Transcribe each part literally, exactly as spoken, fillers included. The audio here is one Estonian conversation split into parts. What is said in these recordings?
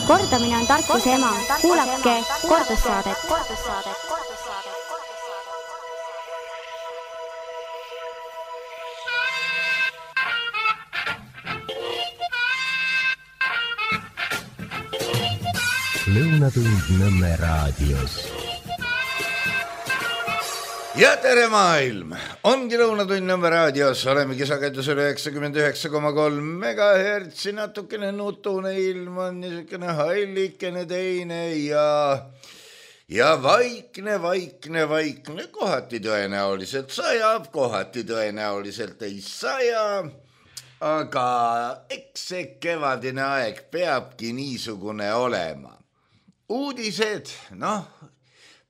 Kordamine on tarkuse ema. Kuulake kordussaadet. Lõunatund Nõmme raadios. Ja tere maailm! Ongi Lõunatund Nõmme raadios. Olemegi sagedusel üheksakümmend üheksa koma kolm megahertsi. Natukene nutune ilm on niisugune hallikene teine ja, ja vaikne, vaikne, vaikne. Kohati tõenäoliselt sajab, kohati tõenäoliselt ei saja. Aga eks see kevadine aeg peabki niisugune olema. Uudised, noh,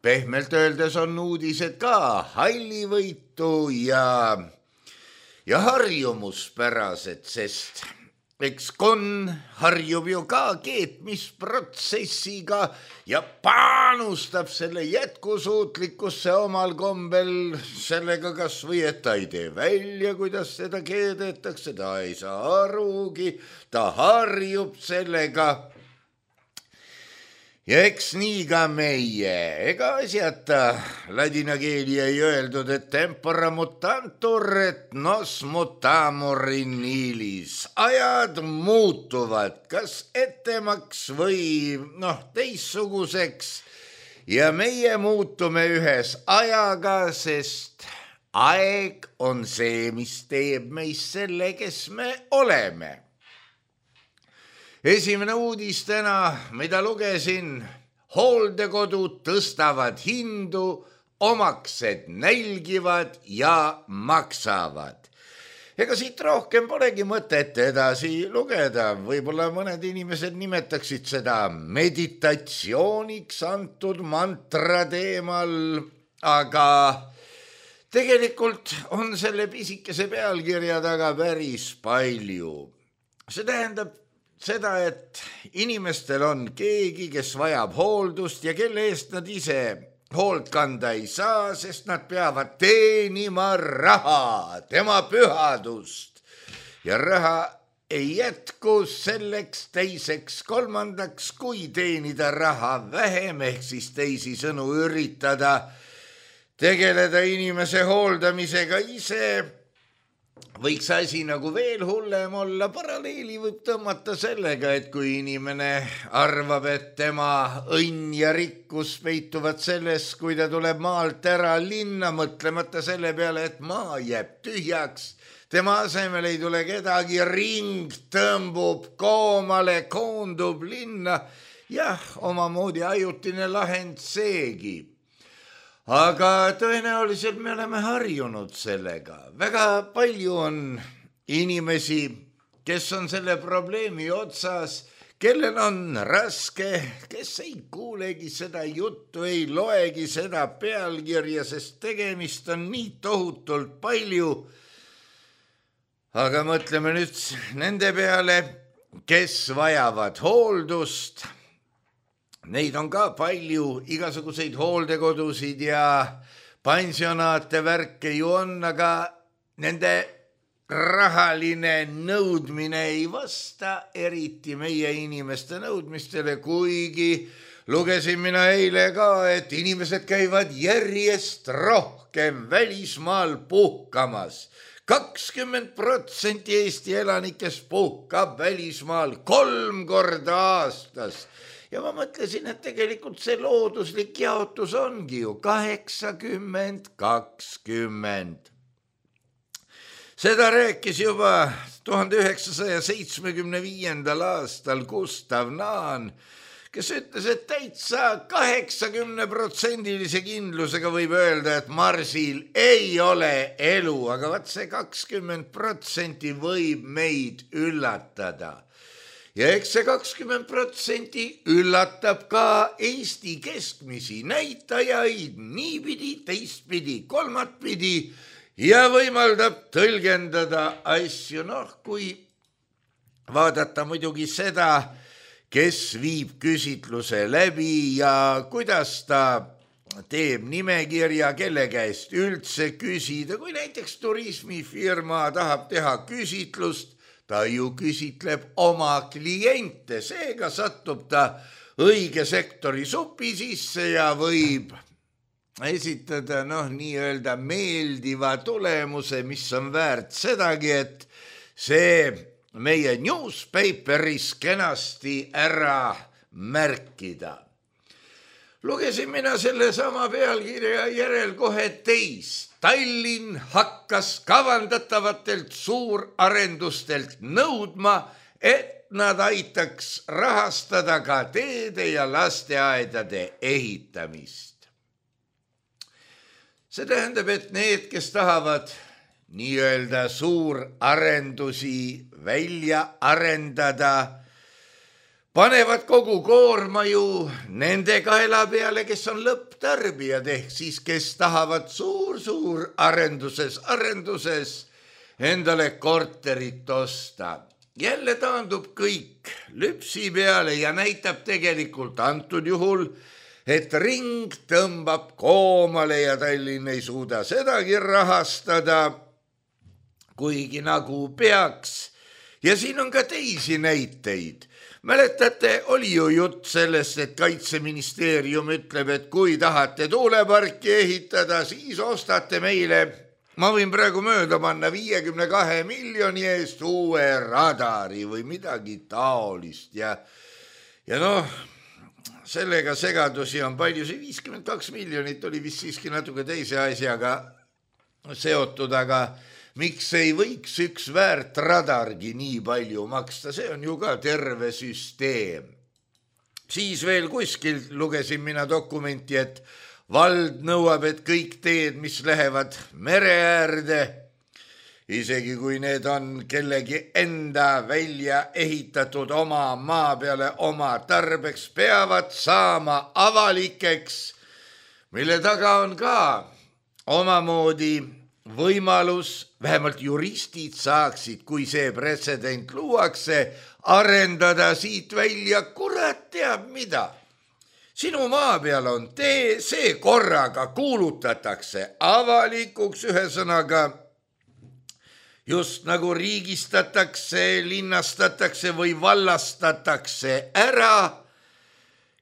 pehmelt öeldes on uudised ka hallivõitu ja, ja harjumuspärased, sest eks kon harjub ju ka keetmisprotsessiga ja panustab selle jätkusuutlikkusse omal kombel sellega kas või, et ta ei tee välja, kuidas seda keedetakse, ta ei saa arugi, ta harjub sellega. Ja eks nii ka meie, ega asjata ladina keeli ei öeldud, et tempora mutantur, et nos mutamur in illis. Ajad muutuvad, kas ettemaks või noh, teissuguseks ja meie muutume ühes ajaga, sest aeg on see, mis teeb meist selle, kes me oleme. Esimene uudis täna, mida lugesin, hooldekodud tõstavad hindu, omaksed nälgivad ja maksavad. Ega siit rohkem polegi mõtet edasi lugeda. Võib-olla mõned inimesed nimetaksid seda meditatsiooniks antud mantra teemal, aga tegelikult on selle pisikese pealkirja taga päris palju. See tähendab seda, et inimestel on keegi, kes vajab hooldust ja kelle eest nad ise hoolt kanda ei saa, sest nad peavad teenima raha, tema pühadust. Ja raha ei jätku selleks, teiseks, kolmandaks, kui teenida raha vähem, ehk siis teisi sõnu üritada tegeleda inimese hooldamisega ise. Võiks asi nagu veel hullem olla, paralleeli võib tõmmata sellega, et kui inimene arvab, et tema õnn ja rikkus peituvad selles, kui ta tuleb maalt ära linna, mõtlemata selle peale, et maa jääb tühjaks, tema asemel ei tule kedagi, ring tõmbub koomale, koondub linna, jah, omamoodi ajutine lahend seegi. Aga tõenäoliselt me oleme harjunud sellega. Väga palju on inimesi, kes on selle probleemi otsas, kellel on raske, kes ei kuulegi seda juttu, ei loegi seda pealkirja, sest tegemist on nii tohutult palju. Aga mõtleme nüüd nende peale, kes vajavad hooldust. Neid on ka palju, igasuguseid hooldekodusid ja pensionaate värke ju on, aga nende rahaline nõudmine ei vasta eriti meie inimeste nõudmistele, kuigi lugesin mina eile ka, et inimesed käivad järjest rohkem välismaal puhkamas. kakskümmend protsenti Eesti elanikest puhkab välismaal kolm korda aastas. Ja ma mõtlesin, et tegelikult see looduslik jaotus ongi ju kaheksakümmend kakskümmend. Seda rääkis juba tuhande üheksasaja seitsmekümne viiendal aastal Gustav Naan, kes ütles, et täitsa kaheksakümne protsendilise kindlusega võib öelda, et Marsil ei ole elu, aga vaat see kakskümmend protsenti võib meid üllatada. Ja eks see kakskümmend protsenti üllatab ka Eesti keskmisi näitajaid niipidi, teistpidi, kolmatpidi ja võimaldab tõlgendada asju, noh, kui vaadata muidugi seda, kes viib küsitluse läbi ja kuidas ta teeb nimekirja, kelle käest üldse küsida, kui näiteks turismifirma tahab teha küsitlust, ta ju küsitleb oma kliente, seega satub ta õige sektori supi sisse ja võib esitada noh, nii-öelda meeldiva tulemuse, mis on väärt sedagi, et see meie newspaperis kenasti ära märkida. Lugesin mina selle sama pealkirja järel kohe teist. Tallinn hakkas kavandatavalt suurarendustelt nõudma, et nad aitaks rahastada ka teede ja lasteaedade ehitamist. See tähendab, et need, kes tahavad nii-öelda suurarendusi välja arendada, panevad kogu koorma ju nende kaela peale, kes on lõpptarbijad, ehk siis kes tahavad suur-suur arenduses, arenduses endale korterit osta. Jälle taandub kõik lüpsi peale ja näitab tegelikult antud juhul, et ring tõmbab koomale ja Tallinn ei suuda sedagi rahastada, kuigi nagu peaks. Ja siin on ka teisi näiteid. Mäletate, oli ju jutt sellest, et Kaitseministeerium ütleb, et kui tahate tuuleparki ehitada, siis ostate meile, ma võin praegu mööda panna viiekümne kahe miljoni eest uue radari või midagi taolist. Ja, ja noh, sellega segadusi on palju, see viiskümmend kaks miljonit oli vist siiski natuke teise asjaga seotud, aga miks ei võiks üks väärt radargi nii palju maksta, see on ju ka terve süsteem. Siis veel kuskil lugesin mina dokumenti, et vald nõuab, et kõik teed, mis lähevad mere äärde, isegi kui need on kellegi enda välja ehitatud oma maa peale oma tarbeks, peavad saama avalikeks, mille taga on ka omamoodi võimalus, vähemalt juristid saaksid, kui see pretsedent luuakse, arendada siit välja kurat teab mida. Sinu maa peal on tee, see korraga kuulutatakse avalikuks, ühesõnaga just nagu riigistatakse, linnastatakse või vallastatakse ära.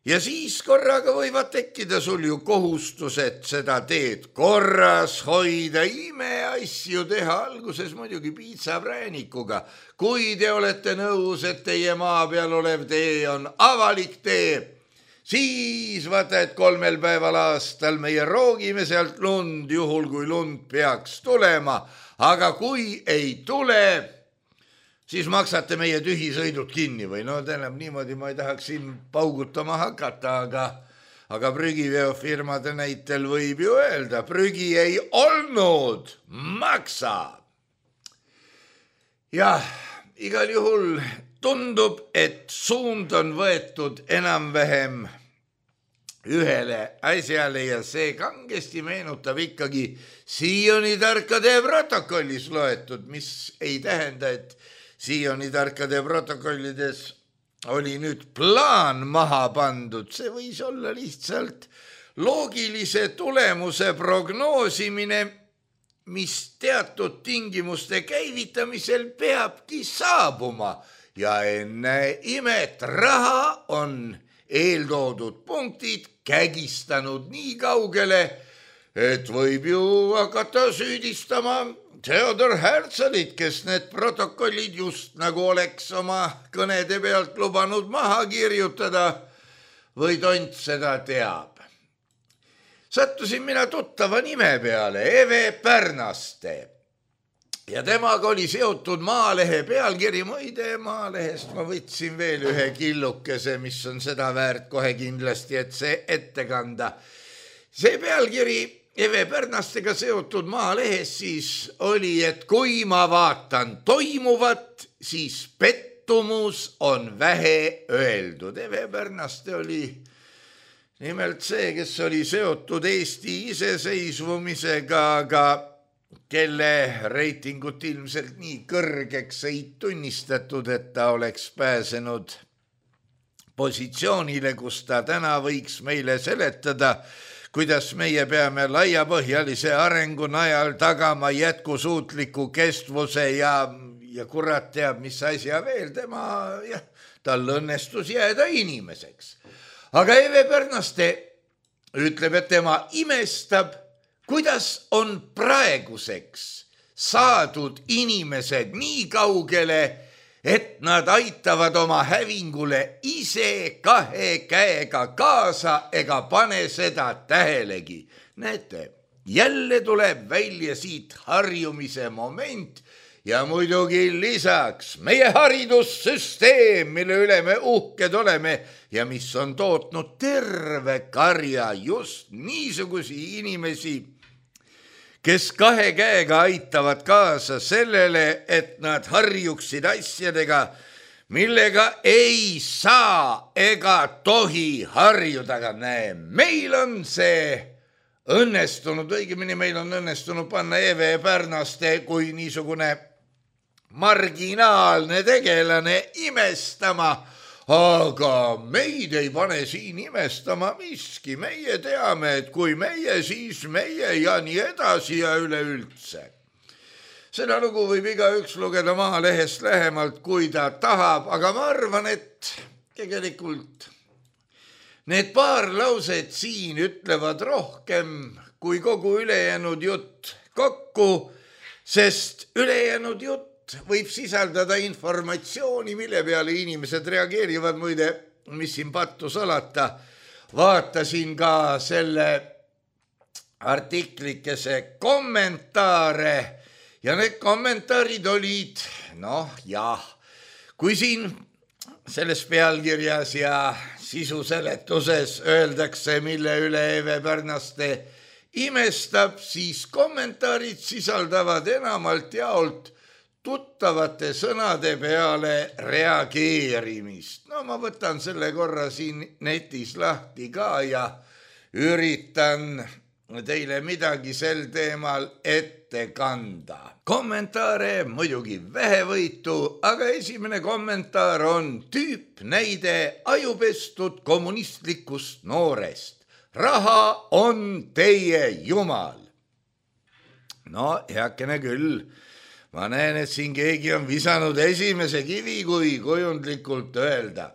Ja siis korraga võivad tekkida sul ju kohustused seda teed korras hoida, imeasju teha, alguses muidugi piitsapräänikuga. Kui te olete nõus, et teie maa peal olev tee on avalik tee, siis vaata, et kolmel päeval aastal meie roogime sealt lund, juhul kui lund peaks tulema, aga kui ei tule, siis maksate meie tühisõidud kinni või no tähendab niimoodi, ma ei tahaks siin paugutama hakata, aga, aga prügiveofirmade näitel võib ju öelda, prügi ei olnud, maksa. Jah, igal juhul tundub, et suund on võetud enam-vähem ühele asjale ja see kangesti meenutab ikkagi Sioni tarkade protokollis loetud, mis ei tähenda, et Sioni tarkade protokollides oli nüüd plaan maha pandud, see võis olla lihtsalt loogilise tulemuse prognoosimine, mis teatud tingimuste käivitamisel peabki saabuma ja enne imet raha on eeltoodud punktid kägistanud nii kaugele, et võib ju hakata süüdistama Theodor Herzelit, kes need protokollid just nagu oleks oma kõnede pealt lubanud maha kirjutada või tont seda teab. Sattusin mina tuttava nime peale, Eve Pärnaste. Ja temaga oli seotud Maalehe pealkiri, muide Maalehest ma võtsin veel ühe killukese, mis on seda väärt kohe kindlasti, et see ette kanda. See pealkiri Eve Pärnastega seotud Maalehes siis oli, et kui ma vaatan toimuvat, siis pettumus on vähe öeldud. Eve Pärnaste oli nimelt see, kes oli seotud Eesti iseseisvumisega, aga kelle reitingut ilmselt nii kõrgeks ei tunnistatud, et ta oleks pääsenud positsioonile, kus ta täna võiks meile seletada, kuidas meie peame laiapõhjalise arengu najal tagama jätkusuutliku kestvuse ja, ja kurat teab, mis asja veel, tema, jah, tal õnnestus jääda inimeseks. Aga Eve Pärnaste ütleb, et tema imestab, kuidas on praeguseks saadud inimesed nii kaugele, et nad aitavad oma hävingule ise kahe käega kaasa ega pane seda tähelegi. Näete, jälle tuleb välja siit harjumise moment ja muidugi lisaks meie haridussüsteem, mille üle me uhked oleme ja mis on tootnud terve karja just niisugusi inimesi, kes kahe käega aitavad kaasa sellele, et nad harjuksid asjadega, millega ei saa ega tohi harjuda. Aga näe, meil on see õnnestunud, õigemini meil on õnnestunud panna Eve Pärnaste kui niisugune marginaalne tegelane imestama, aga meid ei pane siin imestama miski, meie teame, et kui meie, siis meie ja nii edasi ja üleüldse. Seda lugu võib igaüks lugeda Maalehest lähemalt, kui ta tahab, aga ma arvan, et tegelikult need paar lauset siin ütlevad rohkem kui kogu ülejäänud jutt kokku, sest ülejäänud jutt võib sisaldada informatsiooni, mille peale inimesed reageerivad. Muide, mis siin pattu salata, vaatasin ka selle artiklikese kommentaare ja need kommentaarid olid, noh jah, kui siin selles pealkirjas ja sisuseletuses öeldakse, mille üle Eve Pärnaste imestab, siis kommentaarid sisaldavad enamalt jaolt tuttavate sõnade peale reageerimist. No ma võtan selle korra siin netis lahti ka ja üritan teile midagi sel teemal ette kanda. Kommentaare muidugi vähevõitu, aga esimene kommentaar on tüüp näide ajupestud kommunistlikust noorest. Raha on teie jumal. No heakene küll. Ma näen, et siin keegi on visanud esimese kivi, kui kujundlikult öelda.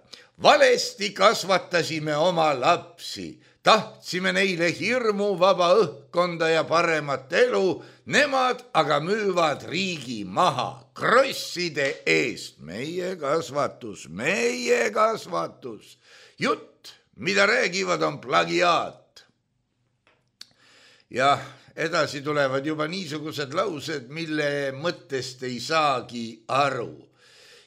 Valesti kasvatasime oma lapsi, tahtsime neile hirmu vaba õhkkonda ja paremat elu, nemad aga müüvad riigi maha krosside eest. Meie kasvatus, meie kasvatus. Jutt, mida räägivad, on plagiaat. Jah, edasi tulevad juba niisugused laused, mille mõttest ei saagi aru.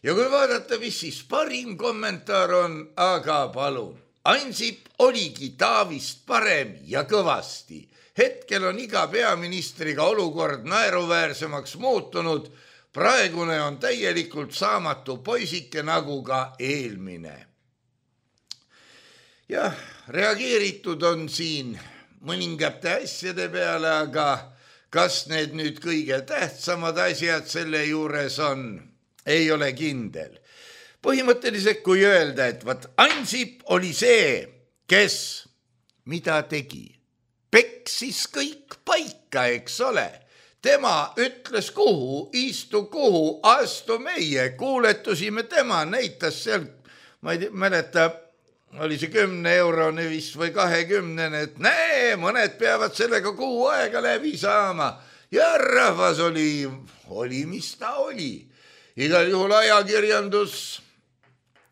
Ja kui vaadata, mis siis parim kommentaar on, aga palun. Ansip oligi Taavist parem ja kõvasti. Hetkel on iga peaministriga olukord naeruväärsemaks muutunud. Praegune on täielikult saamatu poisike nagu ka eelmine. Jah, reageeritud on siin mõningate asjade peale, aga kas need nüüd kõige tähtsamad asjad selle juures on, ei ole kindel. Põhimõtteliselt kui öelda, et vaat Ansip oli see, kes mida tegi. Peksis kõik paika, eks ole. Tema ütles kuhu, istu kuhu, astu meie, kuuletusime tema, näitas seal, ma ei mäleta, oli see kümne eurone vist või kahekümnene, et näe, mõned peavad sellega kuu aega läbi saama. Ja rahvas oli, oli mis ta oli. Igal juhul ajakirjandus,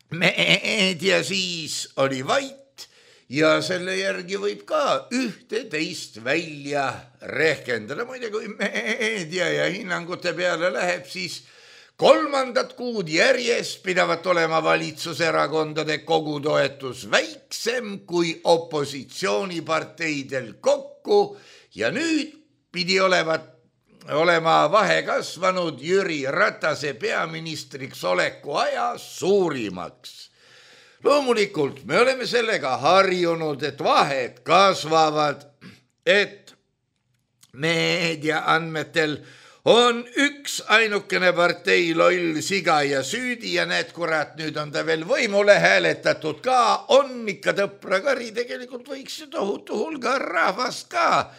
meedia siis oli vait ja selle järgi võib ka ühte teist välja rehkendada. Muide, kui meedia ja hinnangute peale läheb, siis kolmandat kuud järjest pidavat olema valitsuserakondade kogutoetus väiksem kui opositsiooniparteidel kokku ja nüüd pidi olevat, olema vahe kasvanud Jüri Ratase peaministriks oleku aja suurimaks. Loomulikult me oleme sellega harjunud, et vahed kasvavad, et meedia andmetel on üks ainukene partei loll siga ja süüdi ja need kurat, nüüd on ta veel võimule hääletatud ka, on ikka tõpra kari, tegelikult võiks ju tohutu hulga rahvast ka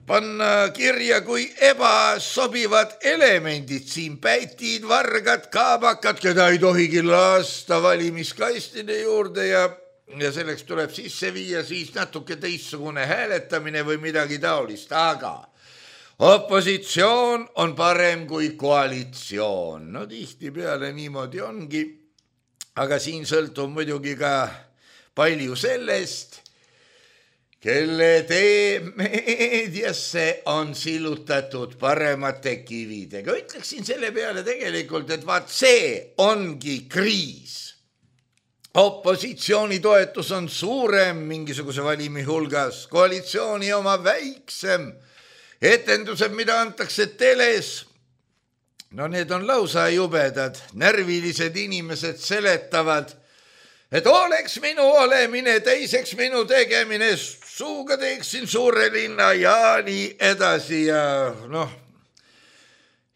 panna kirja, kui ebasobivad elemendid siin, pätid, vargad, kaabakad, keda ei tohigi lasta valimiskastide juurde ja, ja selleks tuleb sisse viia siis natuke teistsugune hääletamine või midagi taolist, aga opositsioon on parem kui koalitsioon. No tihtipeale niimoodi ongi, aga siin sõltub muidugi ka palju sellest, kelle tee meediasse on sillutatud paremate kividega. Ütleksin selle peale tegelikult, et vaat see ongi kriis. Opositsiooni toetus on suurem mingisuguse valimi hulgas, koalitsiooni oma väiksem. Etendused, mida antakse teles, no need on lausa jubedad. Närvilised inimesed seletavad, et oleks minu olemine, teiseks minu tegemine, suuga teeksin suure linna ja nii edasi ja noh.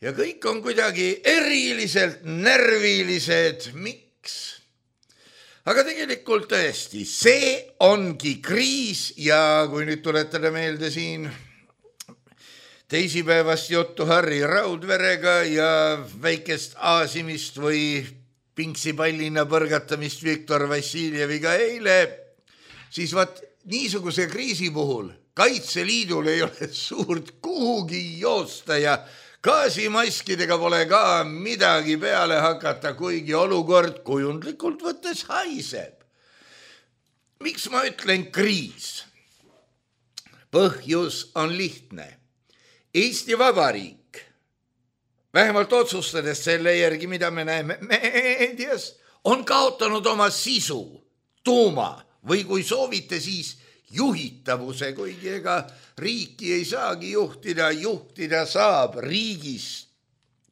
Ja kõik on kuidagi eriliselt närvilised. Miks? Aga tegelikult tõesti, see ongi kriis ja kui nüüd tuletada meelde siin teisipäevast juttu Harri Raudverega ja väikest aasimist või pingsipallina põrgatamist Viktor Vassiljeviga eile, siis vaat niisuguse kriisi puhul Kaitseliidul ei ole suurt kuhugi joosta ja gaasimaskidega pole ka midagi peale hakata, kuigi olukord kujundlikult võttes haiseb. Miks ma ütlen kriis? Põhjus on lihtne. Eesti Vabariik, vähemalt otsustades selle järgi, mida me näeme meedias, on kaotanud oma sisu, tuuma või kui soovite, siis juhitavuse, kuigi ega riiki ei saagi juhtida, juhtida saab riigist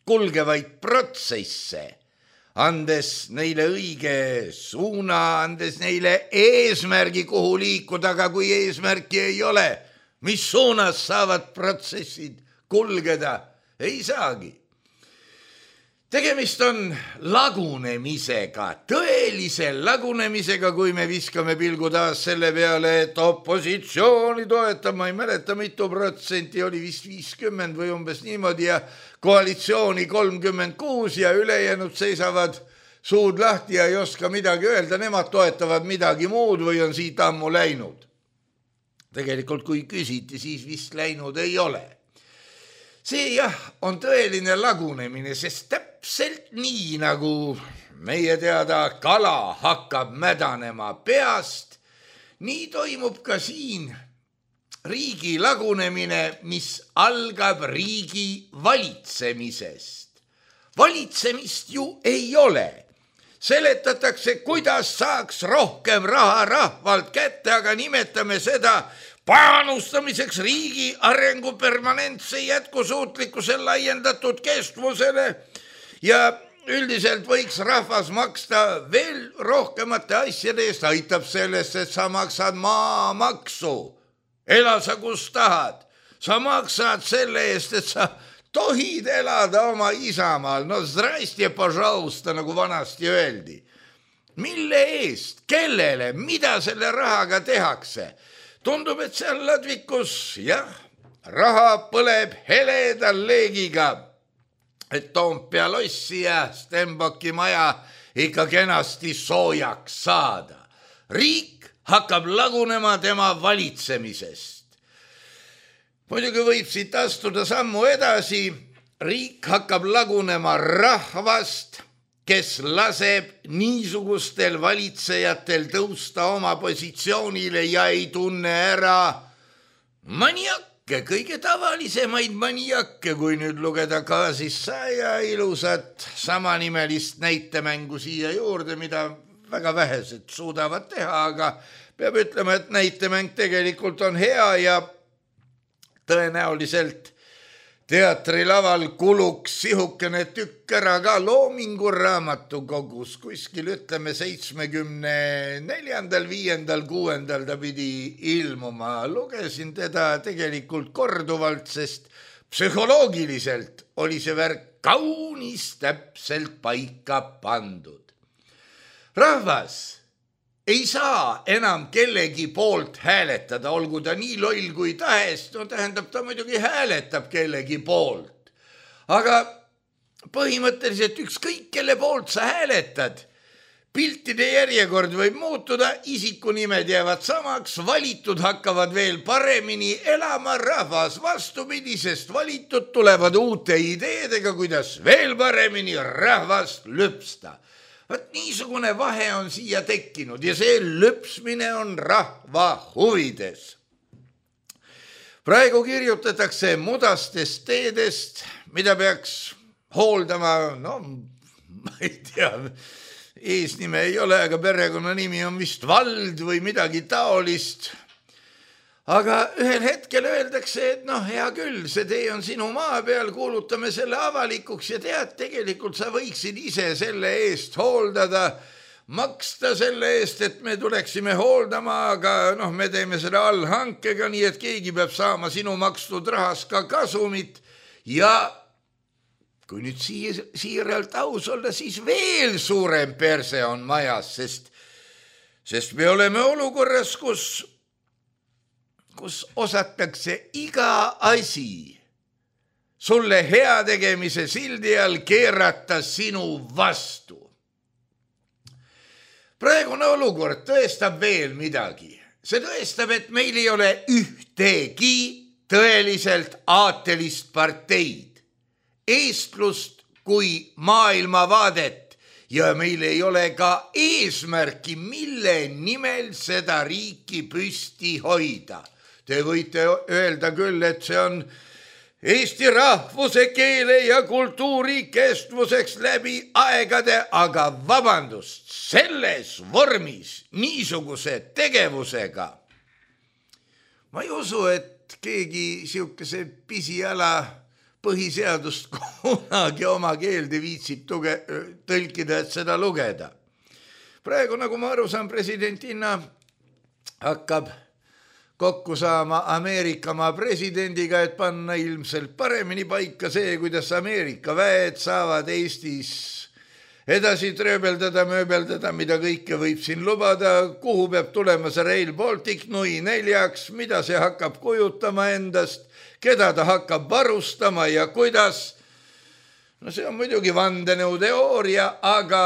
kulgevaid protsesse, andes neile õige suuna, andes neile eesmärgi, kuhu liikuda, aga kui eesmärki ei ole, mis suunas saavad protsessid kulgeda, ei saagi. Tegemist on lagunemisega, tõelise lagunemisega, kui me viskame pilgu taas selle peale, et opositsiooni toetab, ma ei mäleta, mitu protsenti oli vist viiskümmend või umbes niimoodi ja koalitsiooni kolmkümmend kuus ja ülejäänud seisavad suud lahti ja ei oska midagi öelda, nemad toetavad midagi muud või on siit ammu läinud. Tegelikult kui küsiti, siis vist läinud ei ole. See jah, on tõeline lagunemine, sest täpselt nii nagu meie teada kala hakkab mädanema peast, nii toimub ka siin riigi lagunemine, mis algab riigi valitsemisest. Valitsemist ju ei ole. Seletatakse, kuidas saaks rohkem raha rahvalt kätte, aga nimetame seda panustamiseks riigi arengu permanentse jätkusuutlikkuse laiendatud kestvusele ja üldiselt võiks rahvas maksta veel rohkemate asjade eest, aitab sellest, et sa maksad maamaksu, ela sa kus tahad, sa maksad selle eest, et sa tohid elada oma isamaal, no zdrastie, pожалуйста, nagu vanasti öeldi. Mille eest, kellele, mida selle rahaga tehakse? Tundub, et seal ladvikus, jah, raha põleb heledal leegiga, et Toompea lossi ja Stenbocki maja ikka kenasti soojaks saada. Riik hakkab lagunema tema valitsemisest. Muidugi võib siit astuda sammu edasi, riik hakkab lagunema rahvast, kes laseb niisugustel valitsejatel tõusta oma positsioonile ja ei tunne ära maniakke, kõige tavalisemaid maniakke, kui nüüd lugeda ka siis saja ilusat samanimelist näitemängu siia juurde, mida väga vähesed suudavad teha, aga peab ütlema, et näitemäng tegelikult on hea ja tõenäoliselt teatrilaval kuluks sihukene tükk ära ka Loomingu raamatukogus, kuskil ütleme seitsmekümne neljandal, viiendal, kuuendal ta pidi ilmuma. Lugesin teda tegelikult korduvalt, sest psühholoogiliselt oli see värk kaunis täpselt paika pandud. Rahvas ei saa enam kellegi poolt hääletada, olgu ta nii loll kui tahes, no tähendab, ta muidugi hääletab kellegi poolt. Aga põhimõtteliselt ükskõik, kelle poolt sa hääletad, piltide järjekord võib muutuda, isikunimed jäävad samaks, valitud hakkavad veel paremini elama, rahvas vastupidi, sest valitud tulevad uute ideedega, kuidas veel paremini rahvast lüpsta. Võt niisugune vahe on siia tekkinud ja see lüpsmine on rahva huvides. Praegu kirjutatakse mudastest teedest, mida peaks hooldama, no ma ei tea, eesnime ei ole, aga perekonnanimi on vist Vald või midagi taolist. Aga ühel hetkel öeldakse, et noh, hea küll, see tee on sinu maa peal, kuulutame selle avalikuks ja tead, tegelikult sa võiksid ise selle eest hooldada, maksta selle eest, et me tuleksime hooldama, aga noh, me teeme seda allhankega, nii et keegi peab saama sinu makstud rahas ka kasumit ja kui nüüd siir, siiralt aus olla, siis veel suurem perse on majas, sest, sest me oleme olukorras, kus kus osatakse iga asi sulle heategemise sildi all keerata sinu vastu. Praegune olukord tõestab veel midagi. See tõestab, et meil ei ole ühtegi tõeliselt aatelist parteid, eestlust kui maailmavaadet ja meil ei ole ka eesmärki, mille nimel seda riiki püsti hoida. Te võite öelda küll, et see on Eesti rahvuse, keele ja kultuuri kestvuseks läbi aegade, aga vabandust, selles vormis, niisuguse tegevusega. Ma ei usu, et keegi siukese pisiala põhiseadust kunagi oma keelde viitsib tuge, tõlkida, et seda lugeda. Praegu, nagu ma aru saan, presidentina hakkab kokku saama Ameerikamaa presidendiga, et panna ilmselt paremini paika see, kuidas Ameerika väed saavad Eestis edasi trööbeldada, mööbeldada, mida kõike võib siin lubada, kuhu peab tulema see Rail Baltic nui neljaks, mida see hakkab kujutama endast, keda ta hakkab varustama ja kuidas. No see on muidugi vandenõuteooria, aga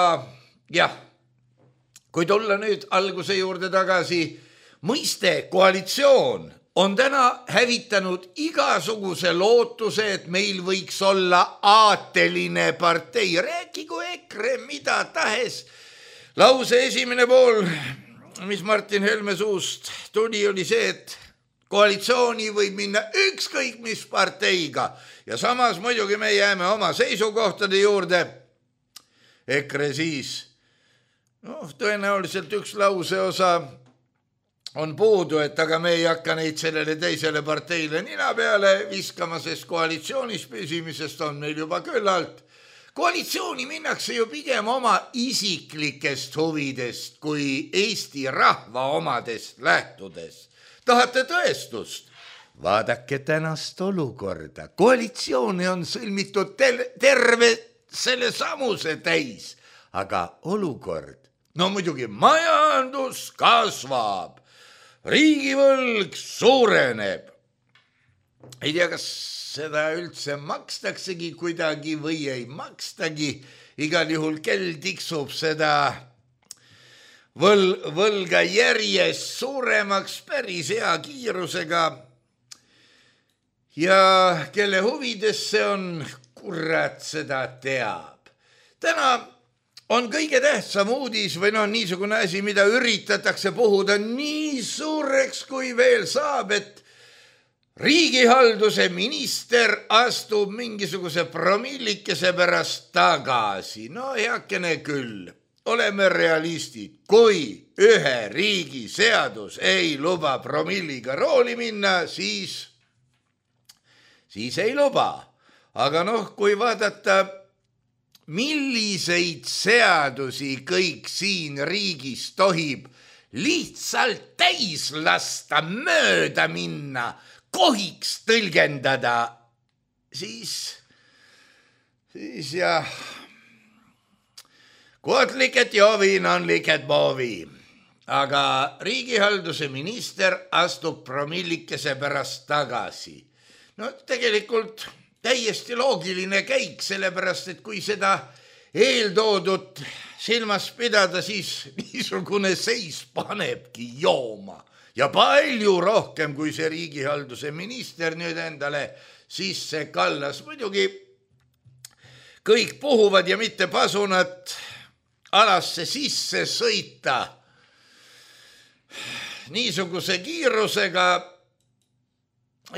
jah, kui tulla nüüd alguse juurde tagasi, mõiste koalitsioon on täna hävitanud igasuguse lootuse, et meil võiks olla aateline partei. Rääkigu EKRE mida tahes. Lause esimene pool, mis Martin Helme suust tuli, oli see, et koalitsiooni võib minna ükskõik mis parteiga ja samas muidugi me jääme oma seisukohtade juurde. EKRE siis, noh, tõenäoliselt üks lause osa on puudu, et aga me ei hakka neid sellele teisele parteile nina peale viskama, sest koalitsioonis püsimisest on meil juba küllalt. Koalitsiooni minnakse ju pigem oma isiklikest huvidest kui Eesti rahva omadest lähtudes. Tahate tõestust? Vaadake tänast olukorda. Koalitsiooni on sõlmitud terve selle samuse täis, aga olukord, no muidugi majandus kasvab. Riigivõlg suureneb. Ei tea, kas seda üldse makstaksegi kuidagi või ei makstagi. Igal juhul kell tiksub seda võl, võlga järjest suuremaks päris hea kiirusega. Ja kelle huvides see on, kurat seda teab. Täna on kõige tähtsam uudis või noh, niisugune asi, mida üritatakse puhuda nii suureks kui veel saab, et riigihalduse minister astub mingisuguse promillikese pärast tagasi. No heakene küll, oleme realistid. Kui ühe riigi seadus ei luba promilliga rooli minna, siis, siis ei luba. Aga noh, kui vaadata milliseid seadusi kõik siin riigis tohib lihtsalt täis lasta, mööda minna, kohiks tõlgendada, siis, siis jah, kuot liket joovin on liket boovi. aga riigihalduse minister astub promillikese pärast tagasi. No tegelikult täiesti loogiline käik, sellepärast, et kui seda eeltoodut silmas pidada, siis niisugune seis panebki jooma. Ja palju rohkem, kui see riigihalduse minister nüüd endale sisse kallas. Muidugi kõik puhuvad ja mitte pasunat alasse sisse sõita niisuguse kiirusega,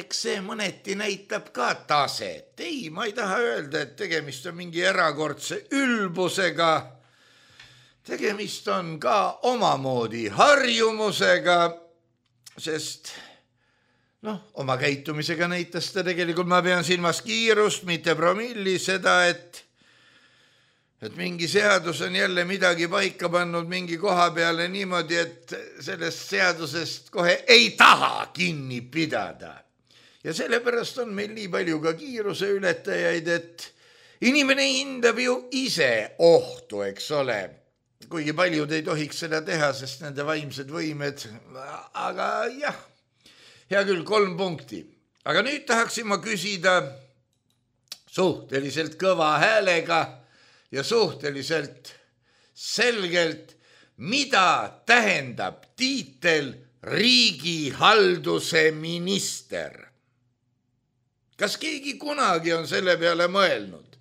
eks see mõneti näitab ka taset. Ei, ma ei taha öelda, et tegemist on mingi erakordse ülbusega. Tegemist on ka omamoodi harjumusega, sest noh, oma käitumisega näitas ta tegelikult, ma pean silmas kiirust, mitte promilli, seda, et et mingi seadus on jälle midagi paika pannud mingi koha peale niimoodi, et sellest seadusest kohe ei taha kinni pidada. Ja sellepärast on meil nii palju ka kiiruse ületajaid, et inimene hindab ju ise ohtu, eks ole. Kuigi paljud ei tohiks seda teha, sest nende vaimsed võimed, aga jah, hea küll, kolm punkti. Aga nüüd tahaksin ma küsida suhteliselt kõva häälega ja suhteliselt selgelt, mida tähendab tiitel riigihalduse minister? Kas keegi kunagi on selle peale mõelnud?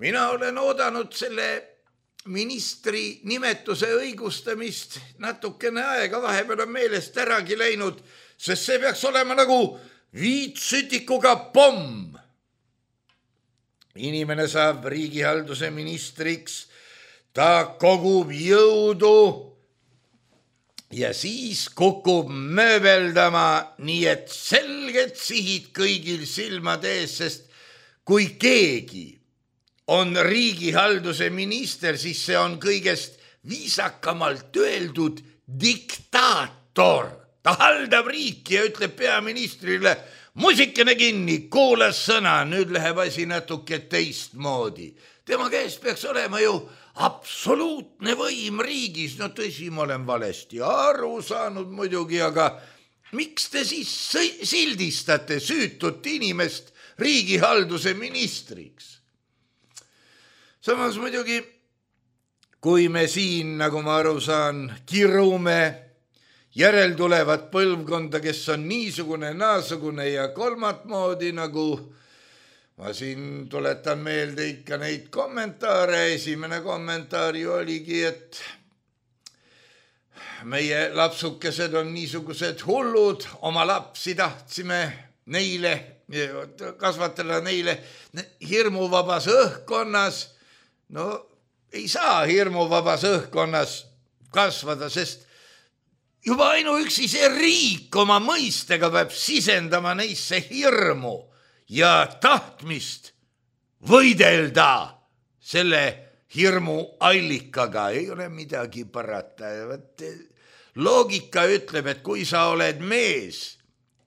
Mina olen oodanud selle ministri nimetuse õigustamist natukene aega, vahepeal on meelest äragi läinud, sest see peaks olema nagu viitsütikuga pomm. Inimene saab riigihalduse ministriks, ta kogub jõudu ja siis kukub mööbeldama, nii et selged sihid kõigil silmade ees, sest kui keegi on riigihalduse minister, siis see on kõigest viisakamalt öeldud diktaator. Ta haldab riiki ja ütleb peaministrile, musikene kinni, kuulas sõna, nüüd läheb asi natuke teistmoodi. Tema käest peaks olema ju absoluutne võim riigis. No tõsi, ma olen valesti aru saanud muidugi, aga miks te siis sildistate süütut inimest riigihalduse ministriks? Samas muidugi, kui me siin, nagu ma aru saan, kirume järeltulevat põlvkonda, kes on niisugune, naasugune ja kolmat moodi, nagu ma siin tuletan meelde ikka neid kommentaare. Esimene kommentaar ju oligi, et meie lapsukesed on niisugused hullud, oma lapsi tahtsime neile kasvatada, neile hirmuvabas õhkkonnas. No ei saa hirmuvabas õhkkonnas kasvada, sest juba ainuüksi see riik oma mõistega peab sisendama neisse hirmu ja tahtmist võidelda selle hirmu allikaga. Ei ole midagi parata. Loogika ütleb, et kui sa oled mees,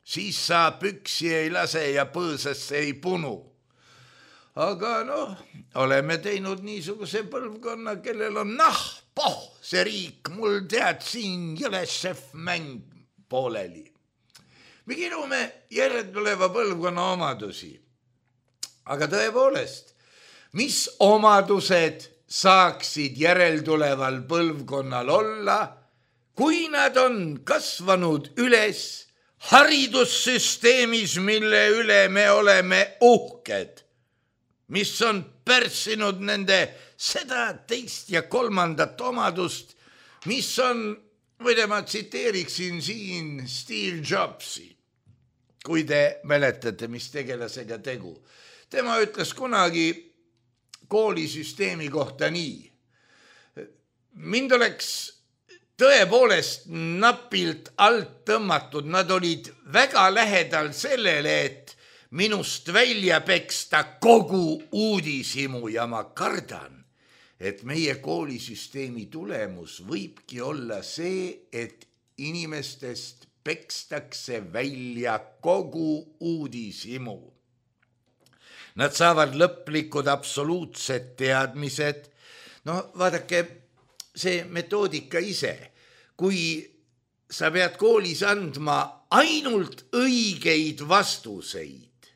siis sa püksi ei lase ja põõsasse ei punu. Aga noh, oleme teinud niisuguse põlvkonna, kellel on nah, poh, see riik, mul tead siin jõlesef mäng pooleli. Me kirume järeltuleva põlvkonna omadusi. Aga tõepoolest, mis omadused saaksid järeltuleval põlvkonnal olla, kui nad on kasvanud üles haridussüsteemis, mille üle me oleme uhked, mis on pärssinud nende seda, teist ja kolmandat omadust, mis on, võide ma tsiteeriksin siin Steve Jobsi, kui te mäletate, mis tegelasega tegu. Tema ütles kunagi koolisüsteemi kohta nii. Mind oleks tõepoolest napilt alt tõmmatud, nad olid väga lähedal sellele, et minust välja peksta kogu uudishimu ja ma kardan, et meie koolisüsteemi tulemus võibki olla see, et inimestest pekstakse välja kogu uudishimu. Nad saavad lõplikud absoluutsed teadmised. No vaadake, see metoodika ise, kui sa pead koolis andma ainult õigeid vastuseid.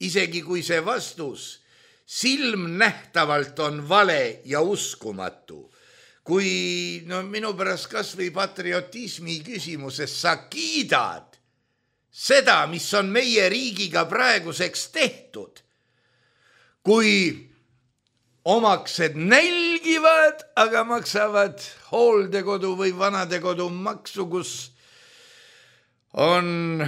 Isegi kui see vastus silmnähtavalt on vale ja uskumatu. Kui no, minu pärast kas või patriotismi küsimuses sa kiidad seda, mis on meie riigiga praeguseks tehtud. Kui omaksed nälgivad, aga maksavad hooldekodu või vanadekodu maksu, kus on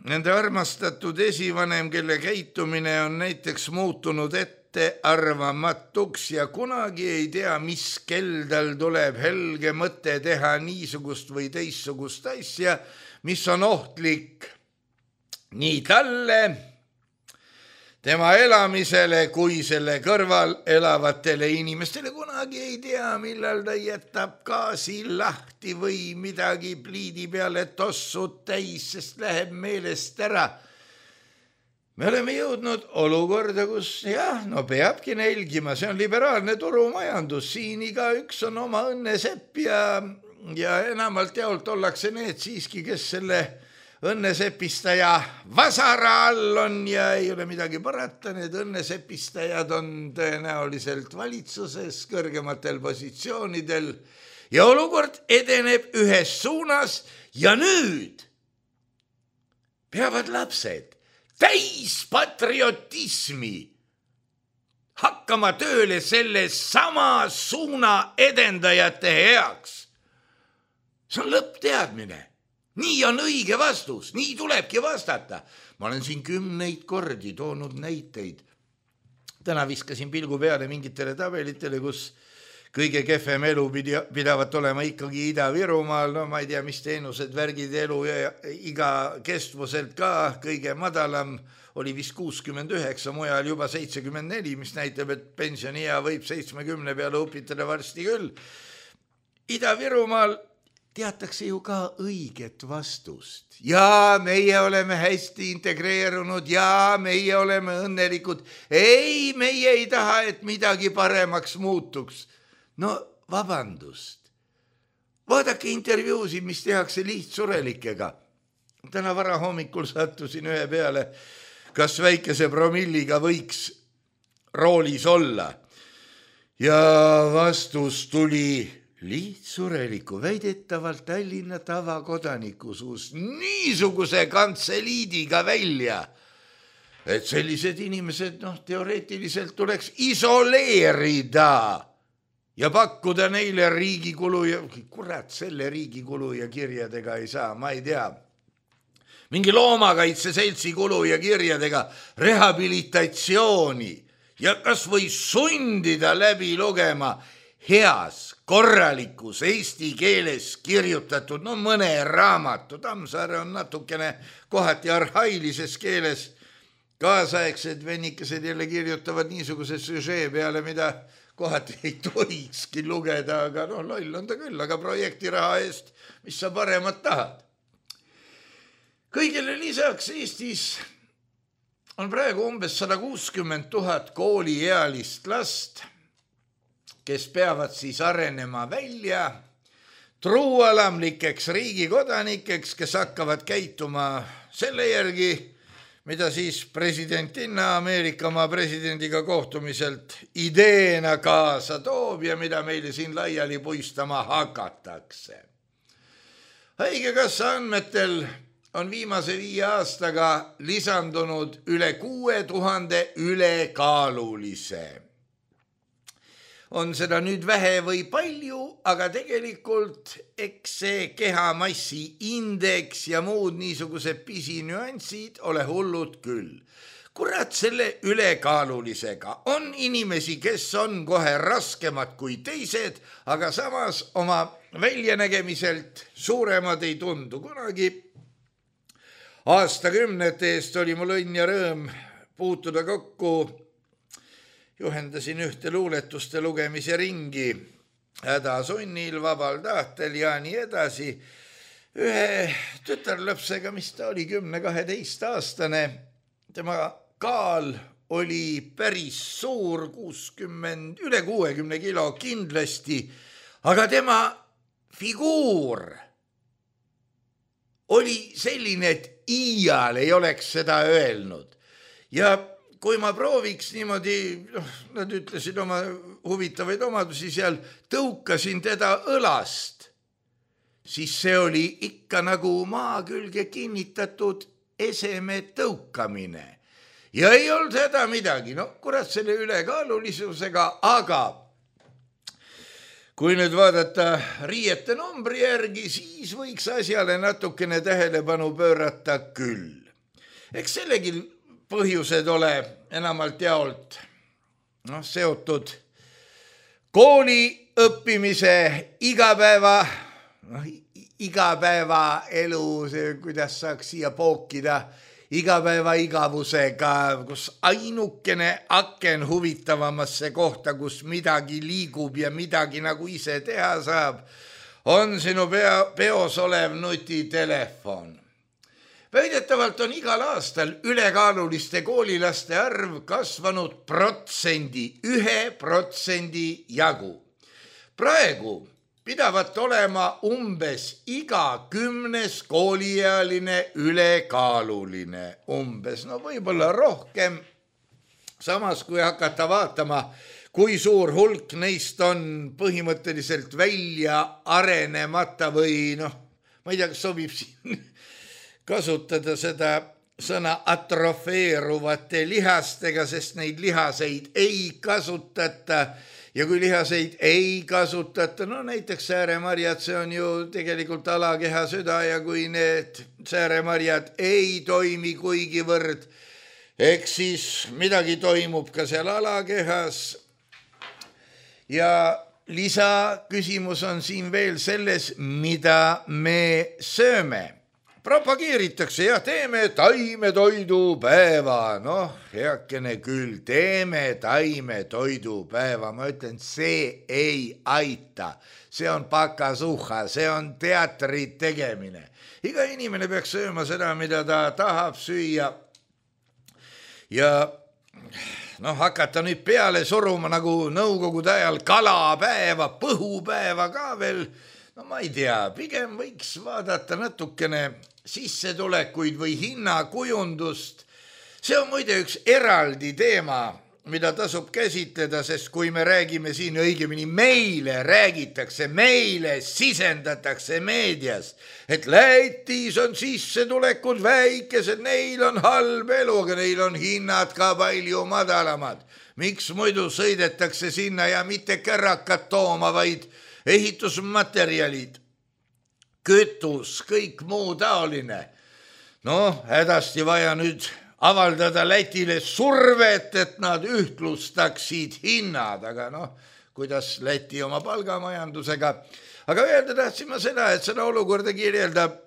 nende armastatud esivanem, kelle käitumine on näiteks muutunud ette arvamatuks ja kunagi ei tea, mis kell tal tuleb helge mõte teha niisugust või teissugust asja, mis on ohtlik nii talle, tema elamisele kui selle kõrval elavatele inimestele. Kunagi ei tea, millal ta jätab gaasi lahti või midagi pliidi peale tossud täis, sest läheb meelest ära. Me oleme jõudnud olukorda, kus jah, no peabki nälgima, see on liberaalne turumajandus, siin igaüks on oma õnnesepp ja, ja enamalt jaolt ollakse need siiski, kes selle õnnesepistaja vasara all on ja ei ole midagi parata, need õnnesepistajad on tõenäoliselt valitsuses kõrgematel positsioonidel ja olukord edeneb ühes suunas ja nüüd peavad lapsed täis patriotismi hakkama tööle selle sama suuna edendajate heaks. See on lõppteadmine. Nii on õige vastus, nii tulebki vastata. Ma olen siin kümneid kordi toonud näiteid. Täna viskasin pilgu peale mingitele tabelitele, kus kõige kehvem elu pidavat olema ikkagi Ida-Virumaal. No ma ei tea, mis teenused, värgid, elu ja iga kestvuselt ka kõige madalam oli vist kuuskümmend üheksa, mujal juba seitsekümmend neli, mis näitab, et pensioniea võib seitsmekümne peale õpitada varsti küll. Ida-Virumaal teatakse ju ka õiget vastust. Ja meie oleme hästi integreerunud ja meie oleme õnnelikud. Ei, meie ei taha, et midagi paremaks muutuks. No vabandust. Vaadake intervjuusid, mis tehakse lihtsurelikega. Täna vara hommikul sattusin ühe peale, kas väikese promilliga võiks roolis olla. Ja vastus tuli lihtsureliku, väidetavalt Tallinna tavakodaniku suust niisuguse kantseliidiga välja, et sellised inimesed noh, teoreetiliselt tuleks isoleerida ja pakkuda neile riigikulu ja kurat, selle riigikulu ja kirjadega ei saa, ma ei tea. Mingi loomakaitse seltsi kulu ja kirjadega rehabilitatsiooni ja kas või sundida läbi lugema heas, korralikus eesti keeles kirjutatud, no mõne raamatu, Tammsaare on natukene kohati arhailises keeles, kaasaegsed vennikesed jälle kirjutavad niisuguse süžee peale, mida kohati ei tohikski lugeda, aga no loll on ta küll, aga projektiraha eest, mis sa paremat tahad. Kõigele lisaks Eestis on praegu umbes sada kuuskümmend tuhat kooliealist last, kes peavad siis arenema välja truualamlikeks riigikodanikeks, kes hakkavad käituma selle järgi, mida siis presidentinna Ameerikamaa presidendiga kohtumiselt ideena kaasa toob ja mida meile siin laiali puistama hakatakse. Haigekassa andmetel on viimase viie aastaga lisandunud üle kuue tuhande ülekaalulise. On seda nüüd vähe või palju, aga tegelikult eks see kehamassi indeks ja muud niisugused pisinüansid ole hullud küll. Kurat, selle ülekaalulisega on inimesi, kes on kohe raskemad kui teised, aga samas oma väljanägemiselt suuremad ei tundu. Kunagi aastakümnete eest oli mul õnn ja rõõm puutuda kokku, juhendasin ühte luuletuste lugemise ringi, hädasunnil, vabal tahtel ja nii edasi. Ühe tütarlapsega, mis ta oli kümne-kaheteist aastane, tema kaal oli päris suur, kuuskümmend, üle kuuekümne kilo kindlasti, aga tema figuur oli selline, et iial ei oleks seda öelnud. Ja kui ma prooviks niimoodi, noh, nad ütlesid oma huvitavaid omadusi seal, tõukasin teda õlast, siis see oli ikka nagu maa külge kinnitatud eseme tõukamine. Ja ei olnud seda midagi, no kurat selle ülekaalulisusega, aga kui nüüd vaadata riiete numbri järgi, siis võiks asjale natukene tähelepanu pöörata küll. Eks sellegi põhjused ole enamalt jaolt no, seotud kooli õppimise igapäeva, no, igapäeva elu, see, kuidas saaks siia pookida, igapäeva igavusega, kus ainukene aken huvitavamasse kohta, kus midagi liigub ja midagi nagu ise teha saab, on sinu pea, peos olev nutitelefon. Väidetavalt on igal aastal ülekaaluliste koolilaste arv kasvanud protsendi, ühe protsendi jagu. Praegu pidavat olema umbes iga kümnes kooliealine ülekaaluline. Umbes, no võib-olla rohkem. Samas, kui hakata vaatama, kui suur hulk neist on põhimõtteliselt välja arenemata või noh, ma ei tea, kas sobib siin kasutada seda sõna atrofeeruvate lihastega, sest neid lihaseid ei kasutata ja kui lihaseid ei kasutata, no näiteks sääremarjad, see on ju tegelikult alakeha süda ja kui need sääremarjad ei toimi kuigivõrd, eks siis midagi toimub ka seal alakehas. Ja lisaküsimus on siin veel selles, mida me sööme. Propageeritakse ja teeme taimetoidupäeva. Noh, heakene küll, teeme taimetoidupäeva. Ma ütlen, see ei aita. See on pakasuha, see on teatri tegemine. Iga inimene peaks sööma seda, mida ta tahab süüa. Ja noh, hakata nüüd peale suruma nagu nõukogude ajal kalapäeva, põhupäeva ka veel. No ma ei tea, pigem võiks vaadata natukene sissetulekuid või hinnakujundust. See on muide üks eraldi teema, mida tasub käsitleda, sest kui me räägime siin, õigemini meile räägitakse, meile sisendatakse meedias, et Lätis on sissetulekud väikesed, neil on halb elu, aga neil on hinnad ka palju madalamad. Miks muidu sõidetakse sinna ja mitte kärrakat tooma, vaid ehitusmaterjalid, kütus, kõik muu taoline. Noh, hädasti vaja nüüd avaldada Lätile survet, et nad ühtlustaksid hinnad, aga noh, kuidas Läti oma palgamajandusega. Aga öelda tahtsin ma seda, et seda olukorda kirjeldab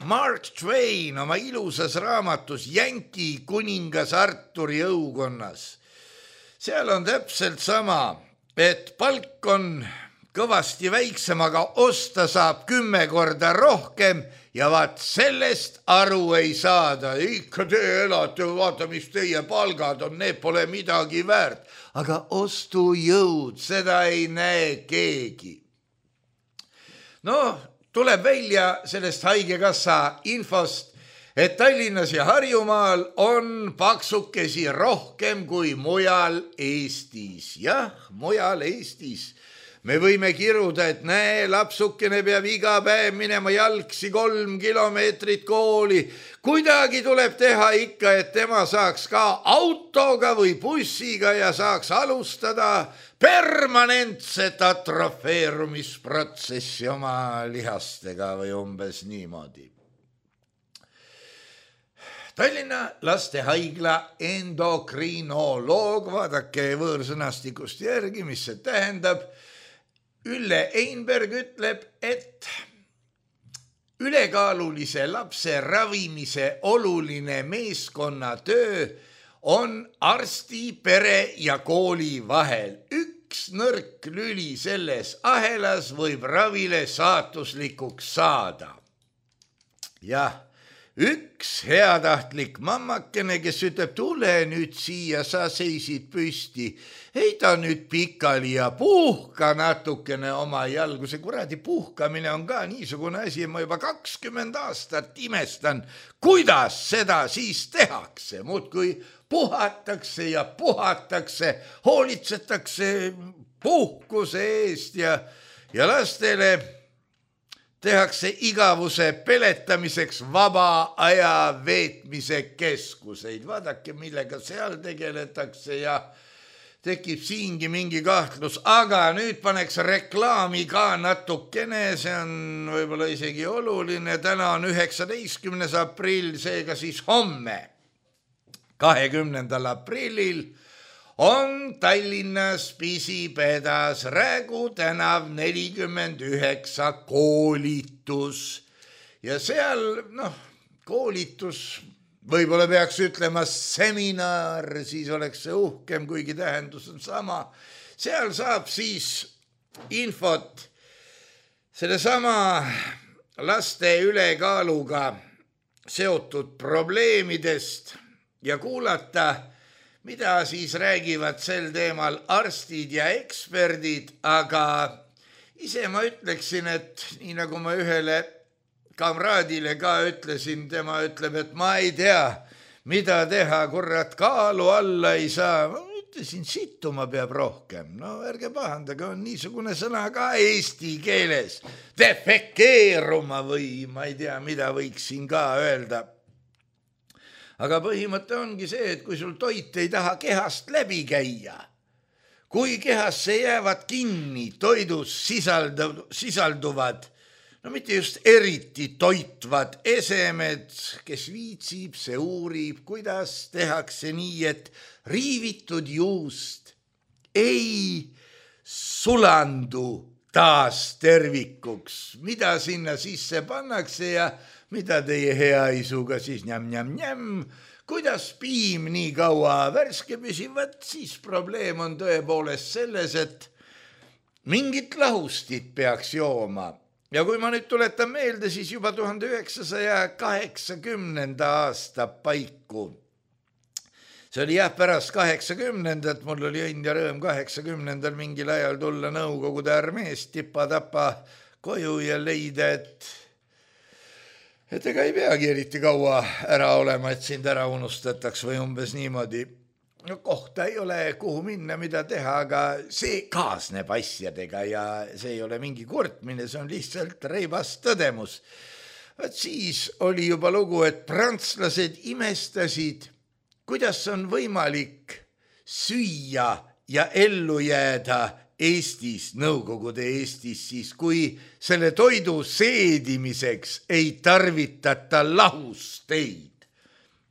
Mark Twain oma ilusas raamatus Jänki kuningas Arturi õukonnas. Seal on täpselt sama, et palk on kõvasti väiksem, aga osta saab kümme korda rohkem ja vaat sellest aru ei saada. Ikka te elate, vaata, mis teie palgad on, need pole midagi väärt. Aga ostujõud, seda ei näe keegi. No, tuleb välja sellest haigekassa infost, et Tallinnas ja Harjumaal on paksukesi rohkem kui mujal Eestis. Jah, mujal Eestis. Me võime kiruda, et näe, lapsukene peab iga päev minema jalgsi kolm kilomeetrit kooli. Kuidagi tuleb teha ikka, et tema saaks ka autoga või bussiga ja saaks alustada permanentset atrofeerumisprotsessi oma lihastega või umbes niimoodi. Tallinna lastehaigla endokrinoloog, vaadake võõrsõnastikust järgi, mis see tähendab. Ülle Einberg ütleb, et ülekaalulise lapse ravimise oluline meeskonnatöö on arsti, pere ja kooli vahel. Üks nõrk lüli selles ahelas võib ravile saatuslikuks saada. Jah, üks heatahtlik mammakene, kes ütleb, tule nüüd siia, sa seisid püsti, heida nüüd pikali ja puhka natukene oma jalgu. See kuradi puhkamine on ka niisugune asi, ma juba kakskümmend aastat imestan, kuidas seda siis tehakse. Muudkui puhatakse ja puhatakse, hoolitsetakse puhkuse eest ja, ja lastele tehakse igavuse peletamiseks vaba aja veetmise keskuseid. Vaadake, millega seal tegeletakse ja tekib siingi mingi kahtlus. Aga nüüd paneks reklaami ka natukene, see on võib-olla isegi oluline. Täna on üheksateistkümnes aprill, seega siis homme, kahekümnendal aprillil on Tallinnas Pisipedas Räägu tänav nelikümmend üheksa koolitus. Ja seal, noh, koolitus, võib-olla peaks ütlema seminar, siis oleks see uhkem, kuigi tähendus on sama. Seal saab siis infot selle sama laste ülekaaluga seotud probleemidest ja kuulata, mida siis räägivad sel teemal arstid ja eksperdid, aga ise ma ütleksin, et nii nagu ma ühele kamraadile ka ütlesin, tema ütleb, et ma ei tea, mida teha, kurat, kaalu alla ei saa. Ma ütlesin, sittuma peab rohkem. No ärge pahandage, on niisugune sõna ka eesti keeles. Defekeeruma või ma ei tea, mida võiksin ka öelda. Aga põhimõte ongi see, et kui sul toit ei taha kehast läbi käia, kui kehasse jäävad kinni toidus sisaldu, sisalduvad, no mitte just eriti toitvad esemed, kes viitsib, see uurib, kuidas tehakse nii, et riivitud juust ei sulandu taas tervikuks, mida sinna sisse pannakse ja mida teie hea isuga siis njam-njam-njam, kuidas piim nii kaua värske püsivad, siis probleem on tõepoolest selles, et mingit lahustit peaks jooma. Ja kui ma nüüd tuletan meelde, siis juba tuhande üheksasaja kaheksakümnenda aasta paiku. See oli jah pärast kaheksakümnendat, mul oli õnn ja rõõm kaheksakümnendal mingil ajal tulla Nõukogude armeest tipa-tapa koju ja leida, et et ega ei peagi eriti kaua ära olema, et sind ära unustataks või umbes niimoodi. No kohta ei ole, kuhu minna, mida teha, aga see kaasneb asjadega ja see ei ole mingi kurtmine, see on lihtsalt reibas tõdemus. Vaat siis oli juba lugu, et prantslased imestasid, kuidas on võimalik süüa ja ellu jääda Eestis, Nõukogude Eestis, siis kui selle toidu seedimiseks ei tarvitata lahusteid.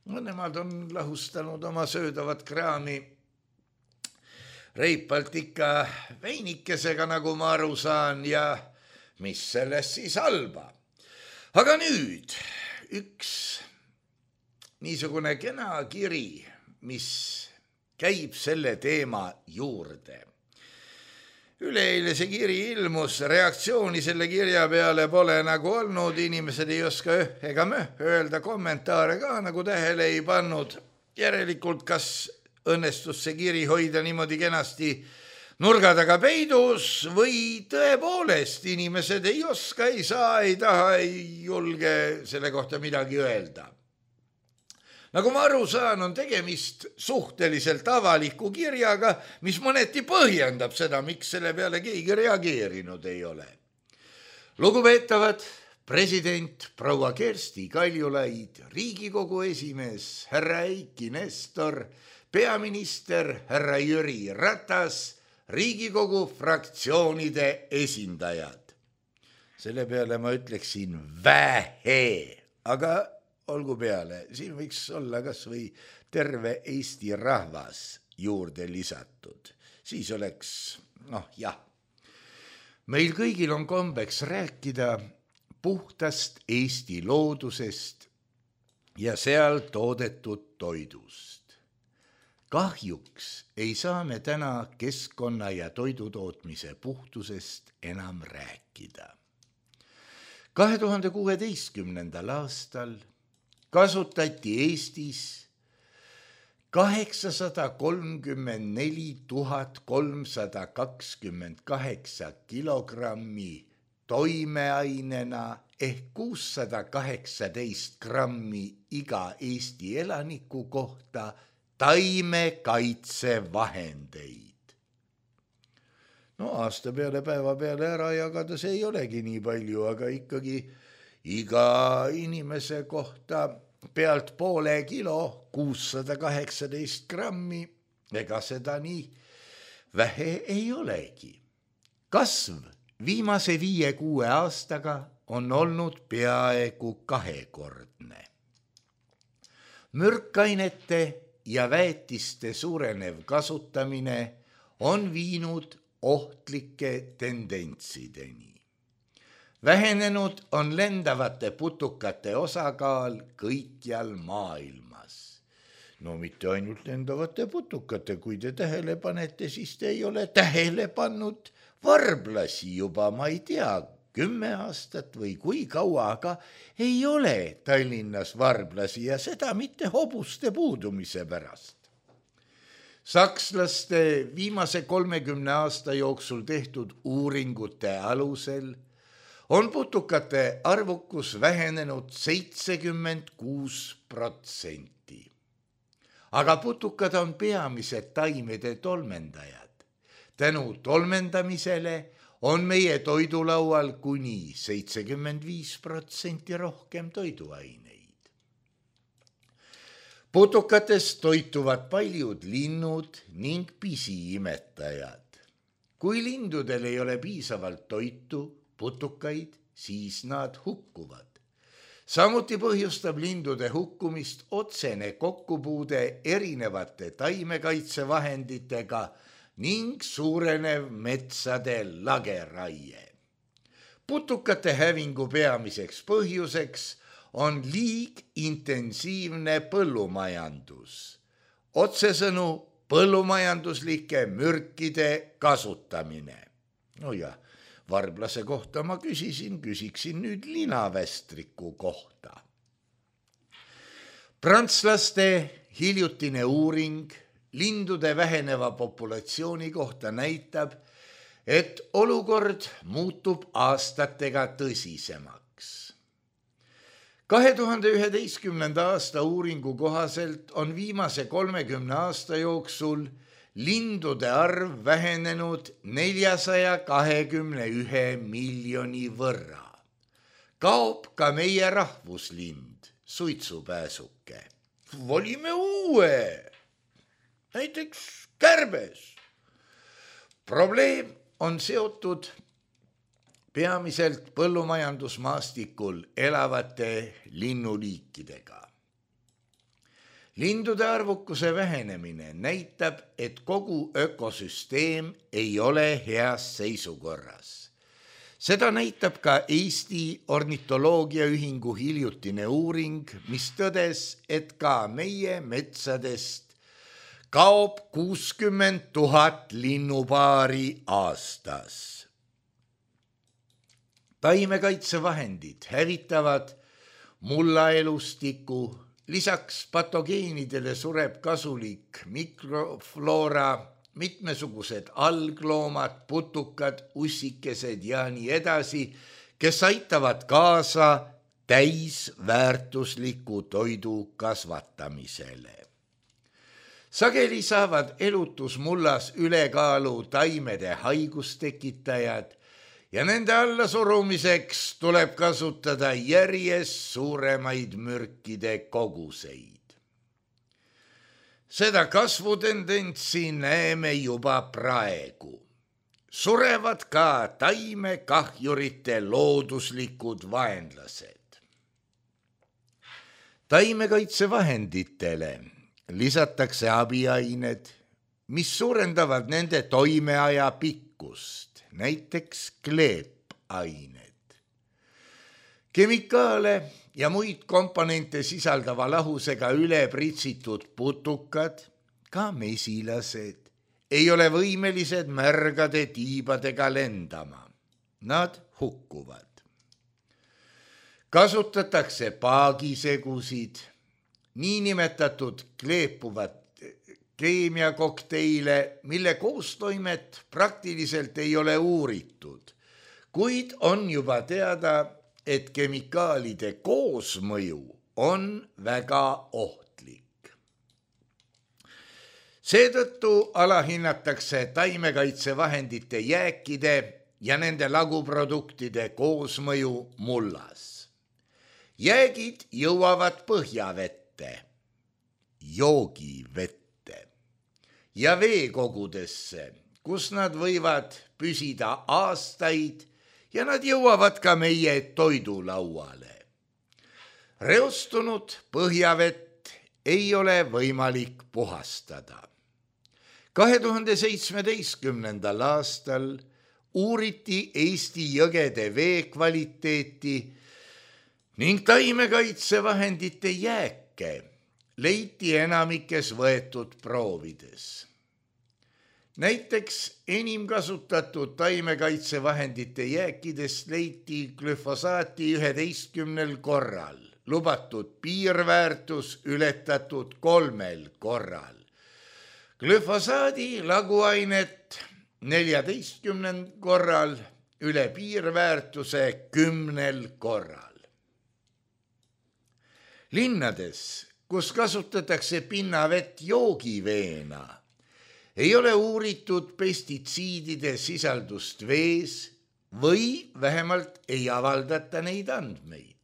No, nemad on lahustanud oma söödavat kraami reipalt ikka veinikesega, nagu ma aru saan, ja mis sellest siis halba. Aga nüüd üks niisugune kena kiri, mis käib selle teema juurde. Üleeile see kiri ilmus, reaktsiooni selle kirja peale pole nagu olnud, inimesed ei oska ega möh öelda, kommentaare ka nagu tähele ei pannud. Järelikult, kas õnnestus see kiri hoida niimoodi kenasti nurga taga peidus või tõepoolest inimesed ei oska, ei saa, ei taha, ei julge selle kohta midagi öelda. Nagu ma aru saan, on tegemist suhteliselt avaliku kirjaga, mis mõneti põhjendab seda, miks selle peale keegi reageerinud ei ole. Lugupeetavad, president proua Kersti Kaljulaid, Riigikogu esimees härra Eiki Nestor, peaminister härra Jüri Ratas, Riigikogu fraktsioonide esindajad. Selle peale ma ütleksin vähe, aga olgu peale, siin võiks olla kas või terve Eesti rahvas juurde lisatud. Siis oleks, noh jah, meil kõigil on kombeks rääkida puhtast Eesti loodusest ja seal toodetud toidust. Kahjuks ei saa me täna keskkonna ja toidutootmise puhtusest enam rääkida. kahe tuhande kuueteistkümnendal aastal kasutati Eestis kaheksasada kolmkümmend neli tuhat kolmsada kakskümmend kaheksa kilogrammi toimeainena ehk kuussada kaheksateist grammi iga Eesti elaniku kohta taimekaitsevahendeid. No aasta peale päeva peale ära jagada see ei olegi nii palju, aga ikkagi iga inimese kohta pealt poole kilo, kuussada kaheksateist grammi, ega seda nii vähe ei olegi. Kasv viimase viie-kuue aastaga on olnud peaaegu kahekordne. Mürkainete ja väetiste suurenev kasutamine on viinud ohtlike tendentsideni. Vähenenud on lendavate putukate osakaal kõikjal maailmas. No mitte ainult lendavate putukate, kui te tähele panete, siis te ei ole tähele pannud varblasi juba, ma ei tea, kümme aastat või kui kaua, aga ei ole Tallinnas varblasi ja seda mitte hobuste puudumise pärast. Sakslaste viimase kolmekümne aasta jooksul tehtud uuringute alusel on putukate arvukus vähenenud seitsekümmend kuus protsenti. Aga putukad on peamised taimede tolmendajad. Tänu tolmendamisele on meie toidulaual kuni seitsekümmend viis protsenti rohkem toiduaineid. Putukatest toituvad paljud linnud ning pisiimetajad. Kui lindudel ei ole piisavalt toitu, putukaid, siis nad hukkuvad. Samuti põhjustab lindude hukkumist otsene kokkupuude erinevate taimekaitsevahenditega ning suurenev metsade lageraie. Putukate hävingu peamiseks põhjuseks on liig intensiivne põllumajandus. Otsesõnu põllumajanduslike mürkide kasutamine. No ja varblase kohta ma küsisin, küsiksin nüüd linavästriku kohta. Prantslaste hiljutine uuring lindude väheneva populatsiooni kohta näitab, et olukord muutub aastatega tõsisemaks. kahe tuhande üheteistkümnenda aasta uuringu kohaselt on viimase kolmekümne aasta jooksul lindude arv vähenenud neljasaja kahekümne ühe miljoni võrra. Kaob ka meie rahvuslind, suitsupääsuke. Valime uue, näiteks kärbes. Probleem on seotud peamiselt põllumajandusmaastikul elavate linnuliikidega. Lindude arvukuse vähenemine näitab, et kogu ökosüsteem ei ole heas seisukorras. Seda näitab ka Eesti Ornitoloogiaühingu hiljutine uuring, mis tõdes, et ka meie metsadest kaob kuuskümmend tuhat linnupaari aastas. Taimekaitsevahendid hävitavad mullaelustiku, lisaks patogeenidele sureb kasulik mikrofloora, mitmesugused algloomad, putukad, ussikesed ja nii edasi, kes aitavad kaasa täisväärtusliku toidu kasvatamisele. Sageli saavad elutusmullas ülekaalu taimede haigustekitajad ja nende allasurumiseks tuleb kasutada järjest suuremaid mürkide koguseid. Seda kasvutendentsi näeme juba praegu. Surevad ka taimekahjurite looduslikud vaenlased. Taimekaitsevahenditele lisatakse abiained, mis suurendavad nende toimeaja pikkust, näiteks kleepained. Kemikaale ja muid komponente sisaldava lahusega üle pritsitud putukad, ka mesilased, ei ole võimelised märgade tiibadega lendama. Nad hukkuvad. kasutatakse paagisegusid, niinimetatud kleepuvat keemiakokteile, mille koostoimet praktiliselt ei ole uuritud, kuid on juba teada, et kemikaalide koosmõju on väga ohtlik. Seetõttu alahinnatakse taimekaitsevahendite jääkide ja nende laguproduktide koosmõju mullas. Jäägid jõuavad põhjavette, joogivette ja veekogudesse, kus nad võivad püsida aastaid ja nad jõuavad ka meie toidulauale. Reostunud põhjavett ei ole võimalik puhastada. kahe tuhande seitsmeteistkümnendal aastal uuriti Eesti jõgede vee kvaliteeti ning taimekaitsevahendite jääke leiti enamikes võetud proovides. Näiteks enim kasutatud taimekaitsevahendite jääkidest leiti glüfosaati üheteistkümnel korral, lubatud piirväärtus ületatud kolmel korral. Glüfosaadi laguainet neljateistkümnel korral, üle piirväärtuse kümnel korral. Linnades, kus kasutatakse pinnavett joogiveena, ei ole uuritud pestitsiidide sisaldust vees või vähemalt ei avaldata neid andmeid.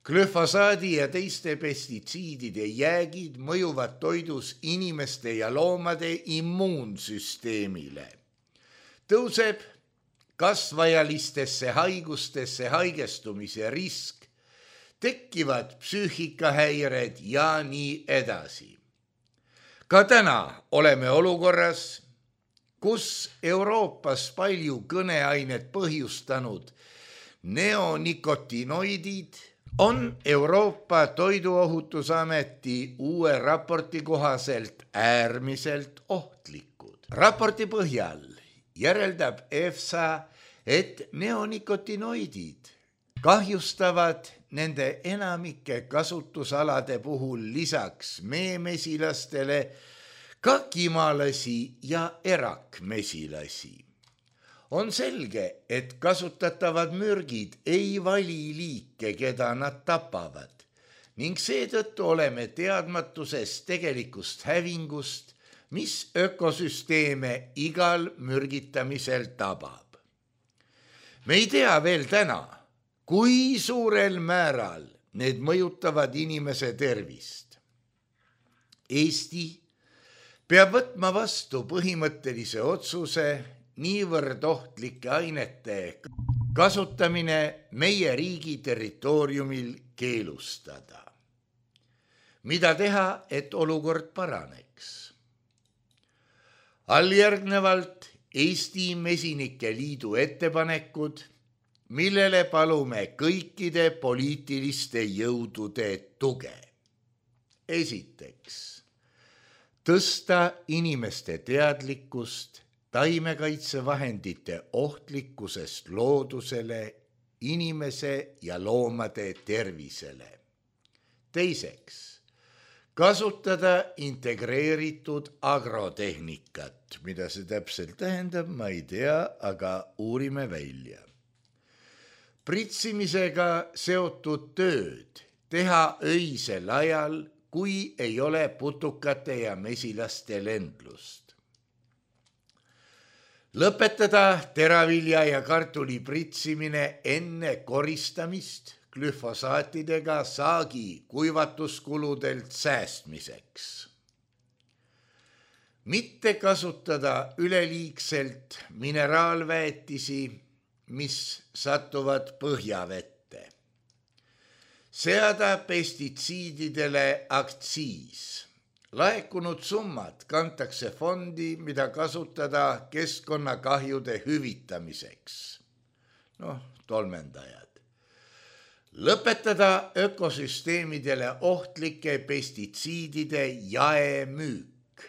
Glüfosaadi ja teiste pestitsiidide jäägid mõjuvad toidus inimeste ja loomade immuunsüsteemile. Tõuseb kasvajalistesse haigustesse haigestumise risk, tekkivad psüühikahäired ja nii edasi. Ka täna oleme olukorras, kus Euroopas palju kõneainet põhjustanud neonikotinoidid on Euroopa Toiduohutusameti uue raporti kohaselt äärmiselt ohtlikud. Raporti põhjal järeldab EFSA, et neonikotinoidid kahjustavad nende enamike kasutusalade puhul lisaks meemesilastele ka kimalasi ja erakmesilasi. On selge, et kasutatavad mürgid ei vali liike, keda nad tapavad, ning seetõttu oleme teadmatuses tegelikust hävingust, mis ökosüsteeme igal mürgitamisel tabab. Me ei tea veel täna, kui suurel määral need mõjutavad inimese tervist. Eesti peab võtma vastu põhimõttelise otsuse niivõrd ohtlike ainete kasutamine meie riigi territooriumil keelustada. Mida teha, et olukord paraneks? Alljärgnevalt Eesti Mesinike Liidu ettepanekud, millele palume kõikide poliitiliste jõudude tuge. Esiteks, tõsta inimeste teadlikkust taimekaitsevahendite ohtlikkusest loodusele, inimese ja loomade tervisele. Teiseks, kasutada integreeritud agrotehnikat, mida see täpselt tähendab, ma ei tea, aga uurime välja. Pritsimisega seotud tööd teha öisel ajal, kui ei ole putukate ja mesilaste lendlust. Lõpetada teravilja ja kartuli pritsimine enne koristamist glüfosaatidega saagi kuivatuskuludelt säästmiseks. Mitte kasutada üleliigselt mineraalväetisi, mis satuvad põhjavette. Seada pestitsiididele aktsiis. Laekunud summad kantakse fondi, mida kasutada keskkonnakahjude hüvitamiseks. Noh, tolmendajad. Lõpetada ökosüsteemidele ohtlike pestitsiidide jaemüük.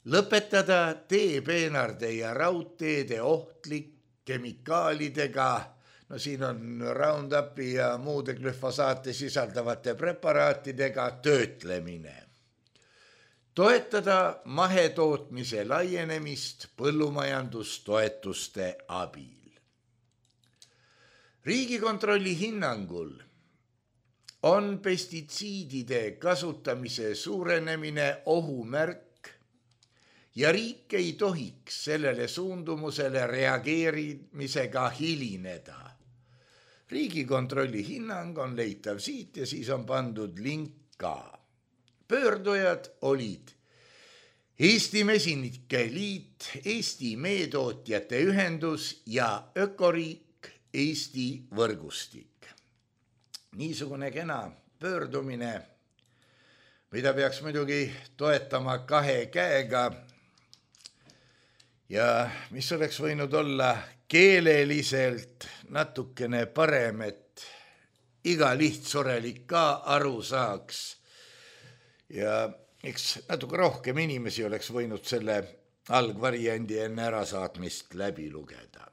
Lõpetada teepeenarde ja raudteede ohtlik kemikaalidega, no siin on Roundupi ja muude glüfosaate sisaldavate preparaatidega töötlemine. Toetada mahetootmise laienemist põllumajandustoetuste abil. Riigikontrolli hinnangul on pestitsiidide kasutamise suurenemine ohumärk ja riik ei tohiks sellele suundumusele reageerimisega hilineda. Riigikontrolli hinnang on leitav siit ja siis on pandud link ka. Pöördujad olid Eesti Mesinike Liit, Eesti Meetootjate Ühendus ja Ökoriik Eesti võrgustik. Niisugune kena pöördumine, mida peaks muidugi toetama kahe käega ja mis oleks võinud olla keeleliselt natukene parem, et iga lihtsorelik ka aru saaks ja eks natuke rohkem inimesi oleks võinud selle algvariandi enne ärasaatmist läbi lugeda.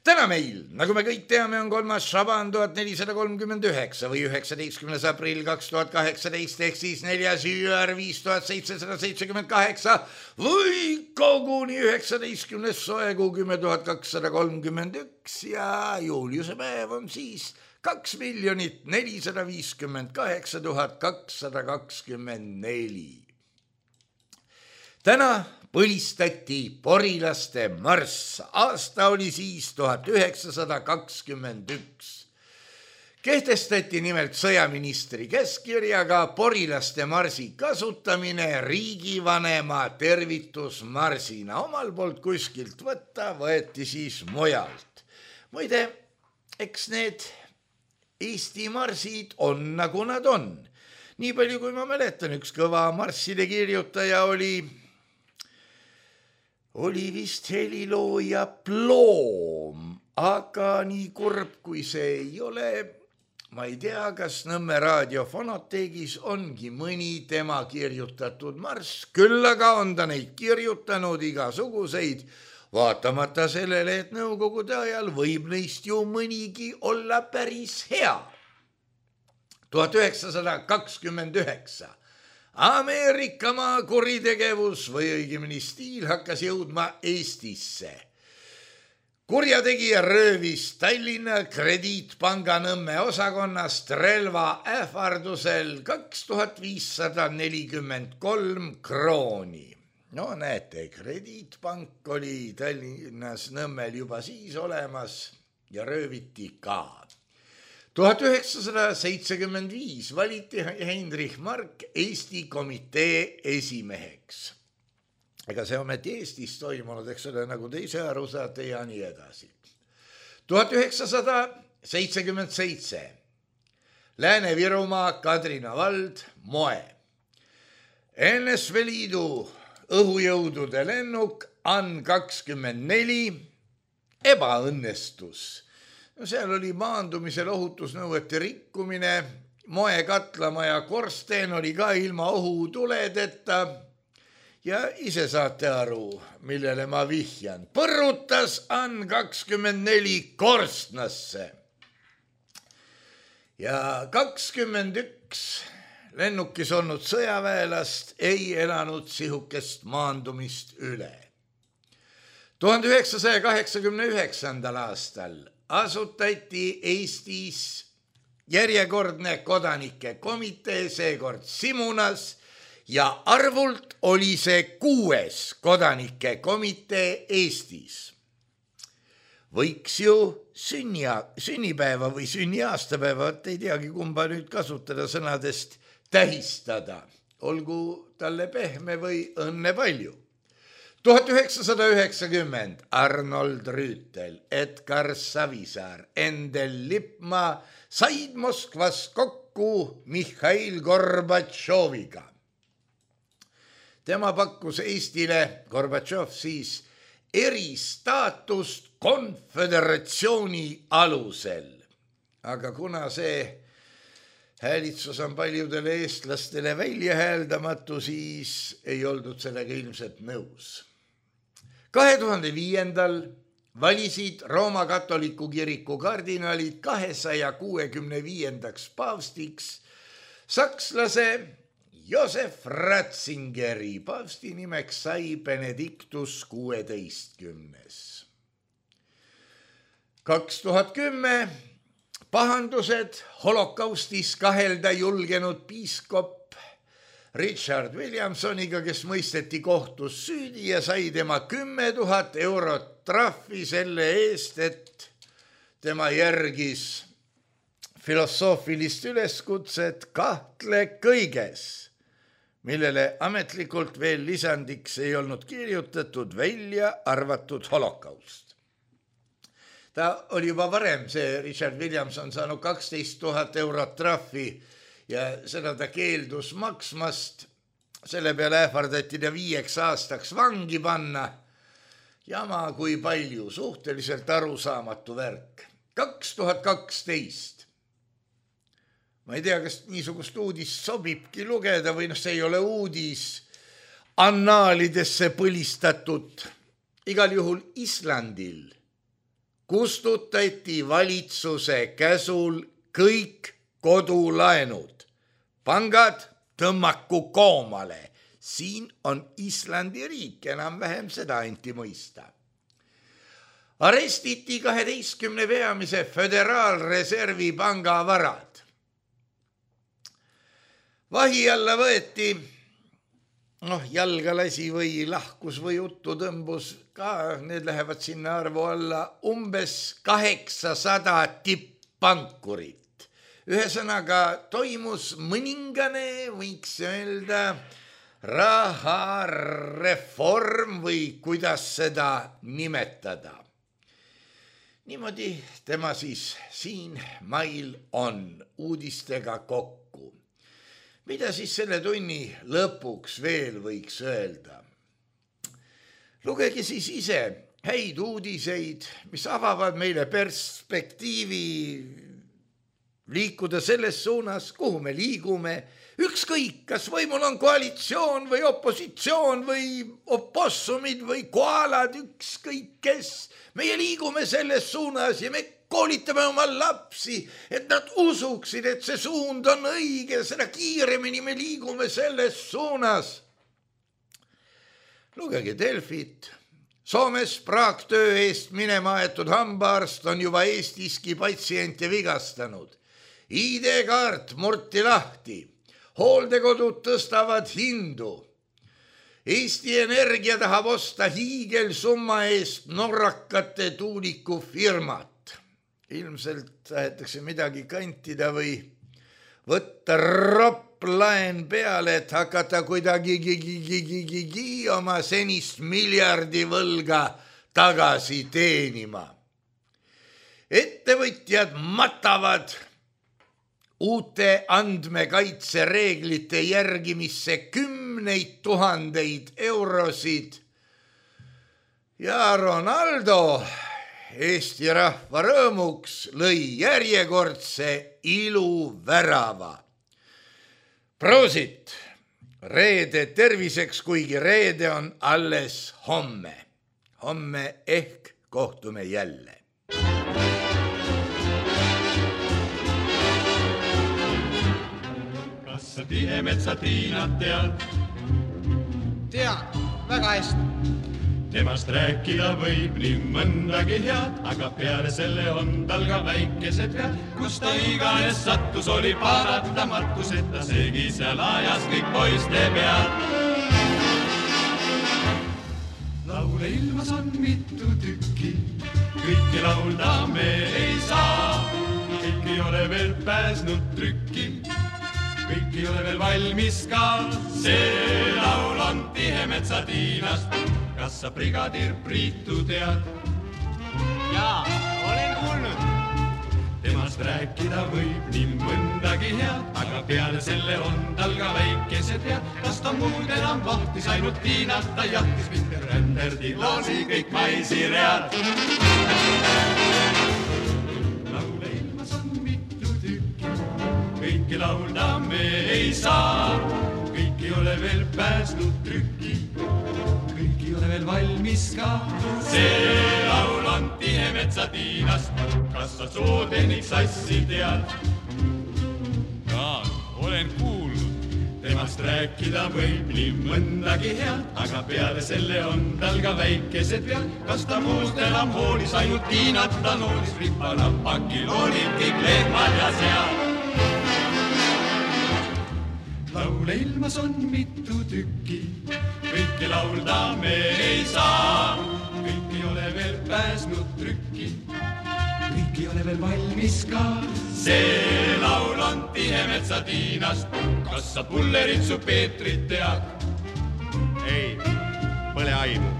Täna meil, nagu me kõik teame, on kolmas Šaban tuhat nelisada kolmkümmend üheksa või üheksateistkümnes aprill kaks tuhat kaheksateist ehk siis neljas jüär viis tuhat seitsesada seitsekümmend kaheksa või koguni üheksateistkümnes soekuu kümme tuhat kakssada kolmkümmend üks ja juuliuse päev on siis kaks miljonit nelisada viiskümmend kaheksa tuhat kakssada kakskümmend neli. Täna põlistati porilaste marss, aasta oli siis tuhat üheksasada kakskümmend üks. Kehtestati nimelt sõjaministri käskkirjaga porilaste marsi kasutamine riigivanema tervitusmarsina. Omal poolt kuskilt võtta võeti siis mujalt. Muide, eks need Eesti marsid on nagu nad on. Nii palju kui ma mäletan, üks kõva marsside kirjutaja oli Oli vist helilooja Ploom, aga nii kurb kui see ei ole, ma ei tea, kas Nõmme raadiofonoteegis ongi mõni tema kirjutatud marss, küll aga on ta neid kirjutanud igasuguseid, vaatamata sellele, et nõukogude ajal võib neist ju mõnigi olla päris hea. tuhat üheksasada kakskümmend üheksa. Ameerikamaa kuritegevus või õigemini stiil hakkas jõudma Eestisse. Kurjategija röövis Tallinna Krediitpanga Nõmme osakonnast relva ähvardusel kaks tuhat viissada nelikümmend kolm krooni. No näete, Krediitpank oli Tallinnas Nõmmel juba siis olemas ja rööviti ka. tuhat üheksasada seitsekümmend viis valiti Heinrich Mark Eesti komitee esimeheks. Ega see ometi Eestis toimunud, eks ole, nagu te ise aru saate ja nii edasi. tuhat üheksasada seitsekümmend seitse. Lääne-Virumaa, Kadrina vald, Moe. N S V Liidu õhujõudude lennuk An kakskümmend neli ebaõnnestus. No seal oli maandumisel ohutusnõuete rikkumine, Moe katlamaja korsteen oli ka ilma ohutuledeta ja ise saate aru, millele ma vihjan. Põrutas An kakskümmend neli korstnasse ja kakskümmend üks lennukis olnud sõjaväelast ei elanud sihukest maandumist üle. tuhande üheksasaja kaheksakümne üheksandal aastal asutati Eestis järjekordne kodanike komitee, seekord Simunas, ja arvult oli see kuues kodanike komitee Eestis. Võiks ju sünnia, sünnipäeva või sünniaastapäeva, ei teagi kumba nüüd kasutada sõnadest, tähistada, olgu talle pehme või õnne palju. tuhat üheksasada üheksakümmend Arnold Rüütel, Edgar Savisaar, Endel Lippmaa said Moskvas kokku Mihhail Gorbatšoviga. Tema pakkus Eestile, Gorbatšov siis, eristaatust konföderatsiooni alusel. Aga kuna see häälitsus on paljudele eestlastele väljahääldamatu, siis ei oldud sellega ilmselt nõus. kahe tuhande viiendal valisid Rooma katoliku kiriku kardinalid kahesaja kuuekümne viiendaks paavstiks sakslase Josef Ratzingeri. Paavsti nimeks sai Benedictus kuueteistkümnes. kaks tuhat kümme pahandused holokaustis kahelda julgenud piiskop Richard Williamsoniga, kes mõisteti kohtus süüdi ja sai tema kümme tuhat eurot trahvi selle eest, et tema järgis filosoofilist üleskutset kahtle kõiges, millele ametlikult veel lisandiks ei olnud kirjutatud, välja arvatud holokaust. Ta oli juba varem, see Richard Williamson, saanud kaksteist tuhat eurot trahvi ja seda ta keeldus maksmast. Selle peale ähvardati ta viieks aastaks vangi panna. Jama kui palju, suhteliselt arusaamatu värk. kaks tuhat kaksteist. Ma ei tea, kas niisugust uudist sobibki lugeda või noh, see ei ole uudis annaalidesse põlistatud. Igal juhul Islandil kustutati valitsuse käsul kõik kodulaenud. Pangad tõmmaku koomale. Siin on Islandi riik, enam-vähem seda anti mõista. Arestiti kaheteistkümne peamise föderaalreservi panga varad. Vahi alla võeti, noh, jalga lasi või lahkus või juttu tõmbus ka, need lähevad sinna arvu alla, umbes kaheksasada tipppankurit. Ühesõnaga toimus mõningane, võiks öelda, rahareform või kuidas seda nimetada. Niimoodi tema siis siin mail on uudistega kokku. Mida siis selle tunni lõpuks veel võiks öelda? Lugege siis ise häid uudiseid, mis avavad meile perspektiivi liikuda selles suunas, kuhu me liigume. Ükskõik, kas võimul on koalitsioon või opositsioon või opossumid või koalad, ükskõik kes. Meie liigume selles suunas ja me koolitame oma lapsi, et nad usuksid, et see suund on õige, seda kiiremini me liigume selles suunas. Lugege Delfit. Soomes praaktöö eest minema aetud hambaarst on juba Eestiski patsiente vigastanud. I D-kaart murti lahti. Hooldekodud tõstavad hindu. Eesti Energia tahab osta hiigelsumma eest norrakate tuulikufirmat. Ilmselt tahetakse midagi kantida või võtta roplaen peale, et hakata kuidagi gigi oma senist miljardi võlga tagasi teenima. Ettevõtjad matavad uute andmekaitsereeglite järgimisse kümneid tuhandeid eurosid ja Ronaldo Eesti rahva rõõmuks lõi järjekordse iluvärava. Proosit! Reede terviseks, kuigi reede on alles homme. Homme ehk kohtume jälle. Kas sa Tihemetsatiinat tead? Tean, väga hästi. Temast rääkida võib nii mõndagi head, aga peale selle on tal ka väikesed vead. Kus ta iganes sattus, oli paratamatus, et ta segi seal ajas kõik poiste pead. Laule ilmas on mitu tükki, kõiki laulda me ei saa. Kõik ei ole veel pääsnud trükki, kõik ei ole veel valmis ka. See laul on Tihemetsatiinast. Kas sa brigadir Priitu tead? Jaa, olen kuulnud. Temast rääkida võib nii mõndagi head, aga peale selle on tal ka väikesed vead. Kas ta muud enam vahtis, ainult Tiinat ta jahtis, mitte ränderdi laasi kõik maisiread. Laule ilmas on mitu tükki, kõiki laulda me ei saa. Kõik ei ole veel pääsnud trükki, kõik ei ole veel valmis ka. See laul on metsatiinast, kas sa sootehnik sassi tead? Jaa, olen kuulnud. Temast rääkida võib nii mõndagi head, aga peale selle on tal ka väikesed vead. Kas ta muust enam hoolis, ainult tiinat ta noolis, rippa-nappakil olid kõik lehmad ja sead. Laule ilmas on mitu tükki, kõiki laulda me ei saa. Kõik ei ole veel pääsnud trükki, kõik ei ole veel valmis ka. See laul on tihe metsatiinast, kas sa Pulleritsu Peetrit tead? Ei, pole aimu.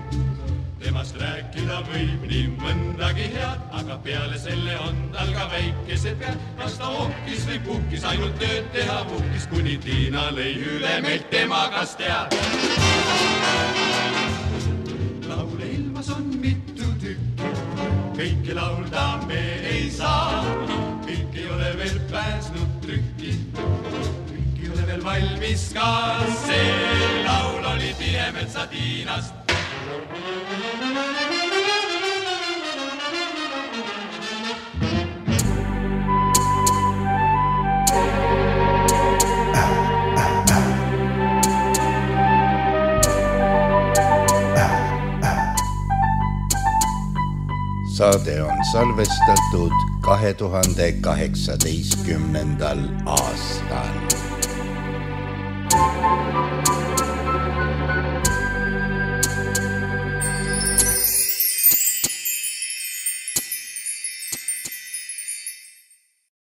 Temast rääkida võib nii mõndagi head, aga peale selle on tal ka väikesed pead. Kas ta ohkis või puhkis, ainult tööd teha puhkis, kuni Tiina lõi üle meilt tema kas tead. Laule ilmas on mitu tükki, kõiki laulda me ei saa. Kõik ei ole veel pääsnud trükki, kõik ei ole veel valmis ka. See laul oli tihe metsatiinast. Saade on salvestatud kahe tuhande kaheksateistkümnendal aastal.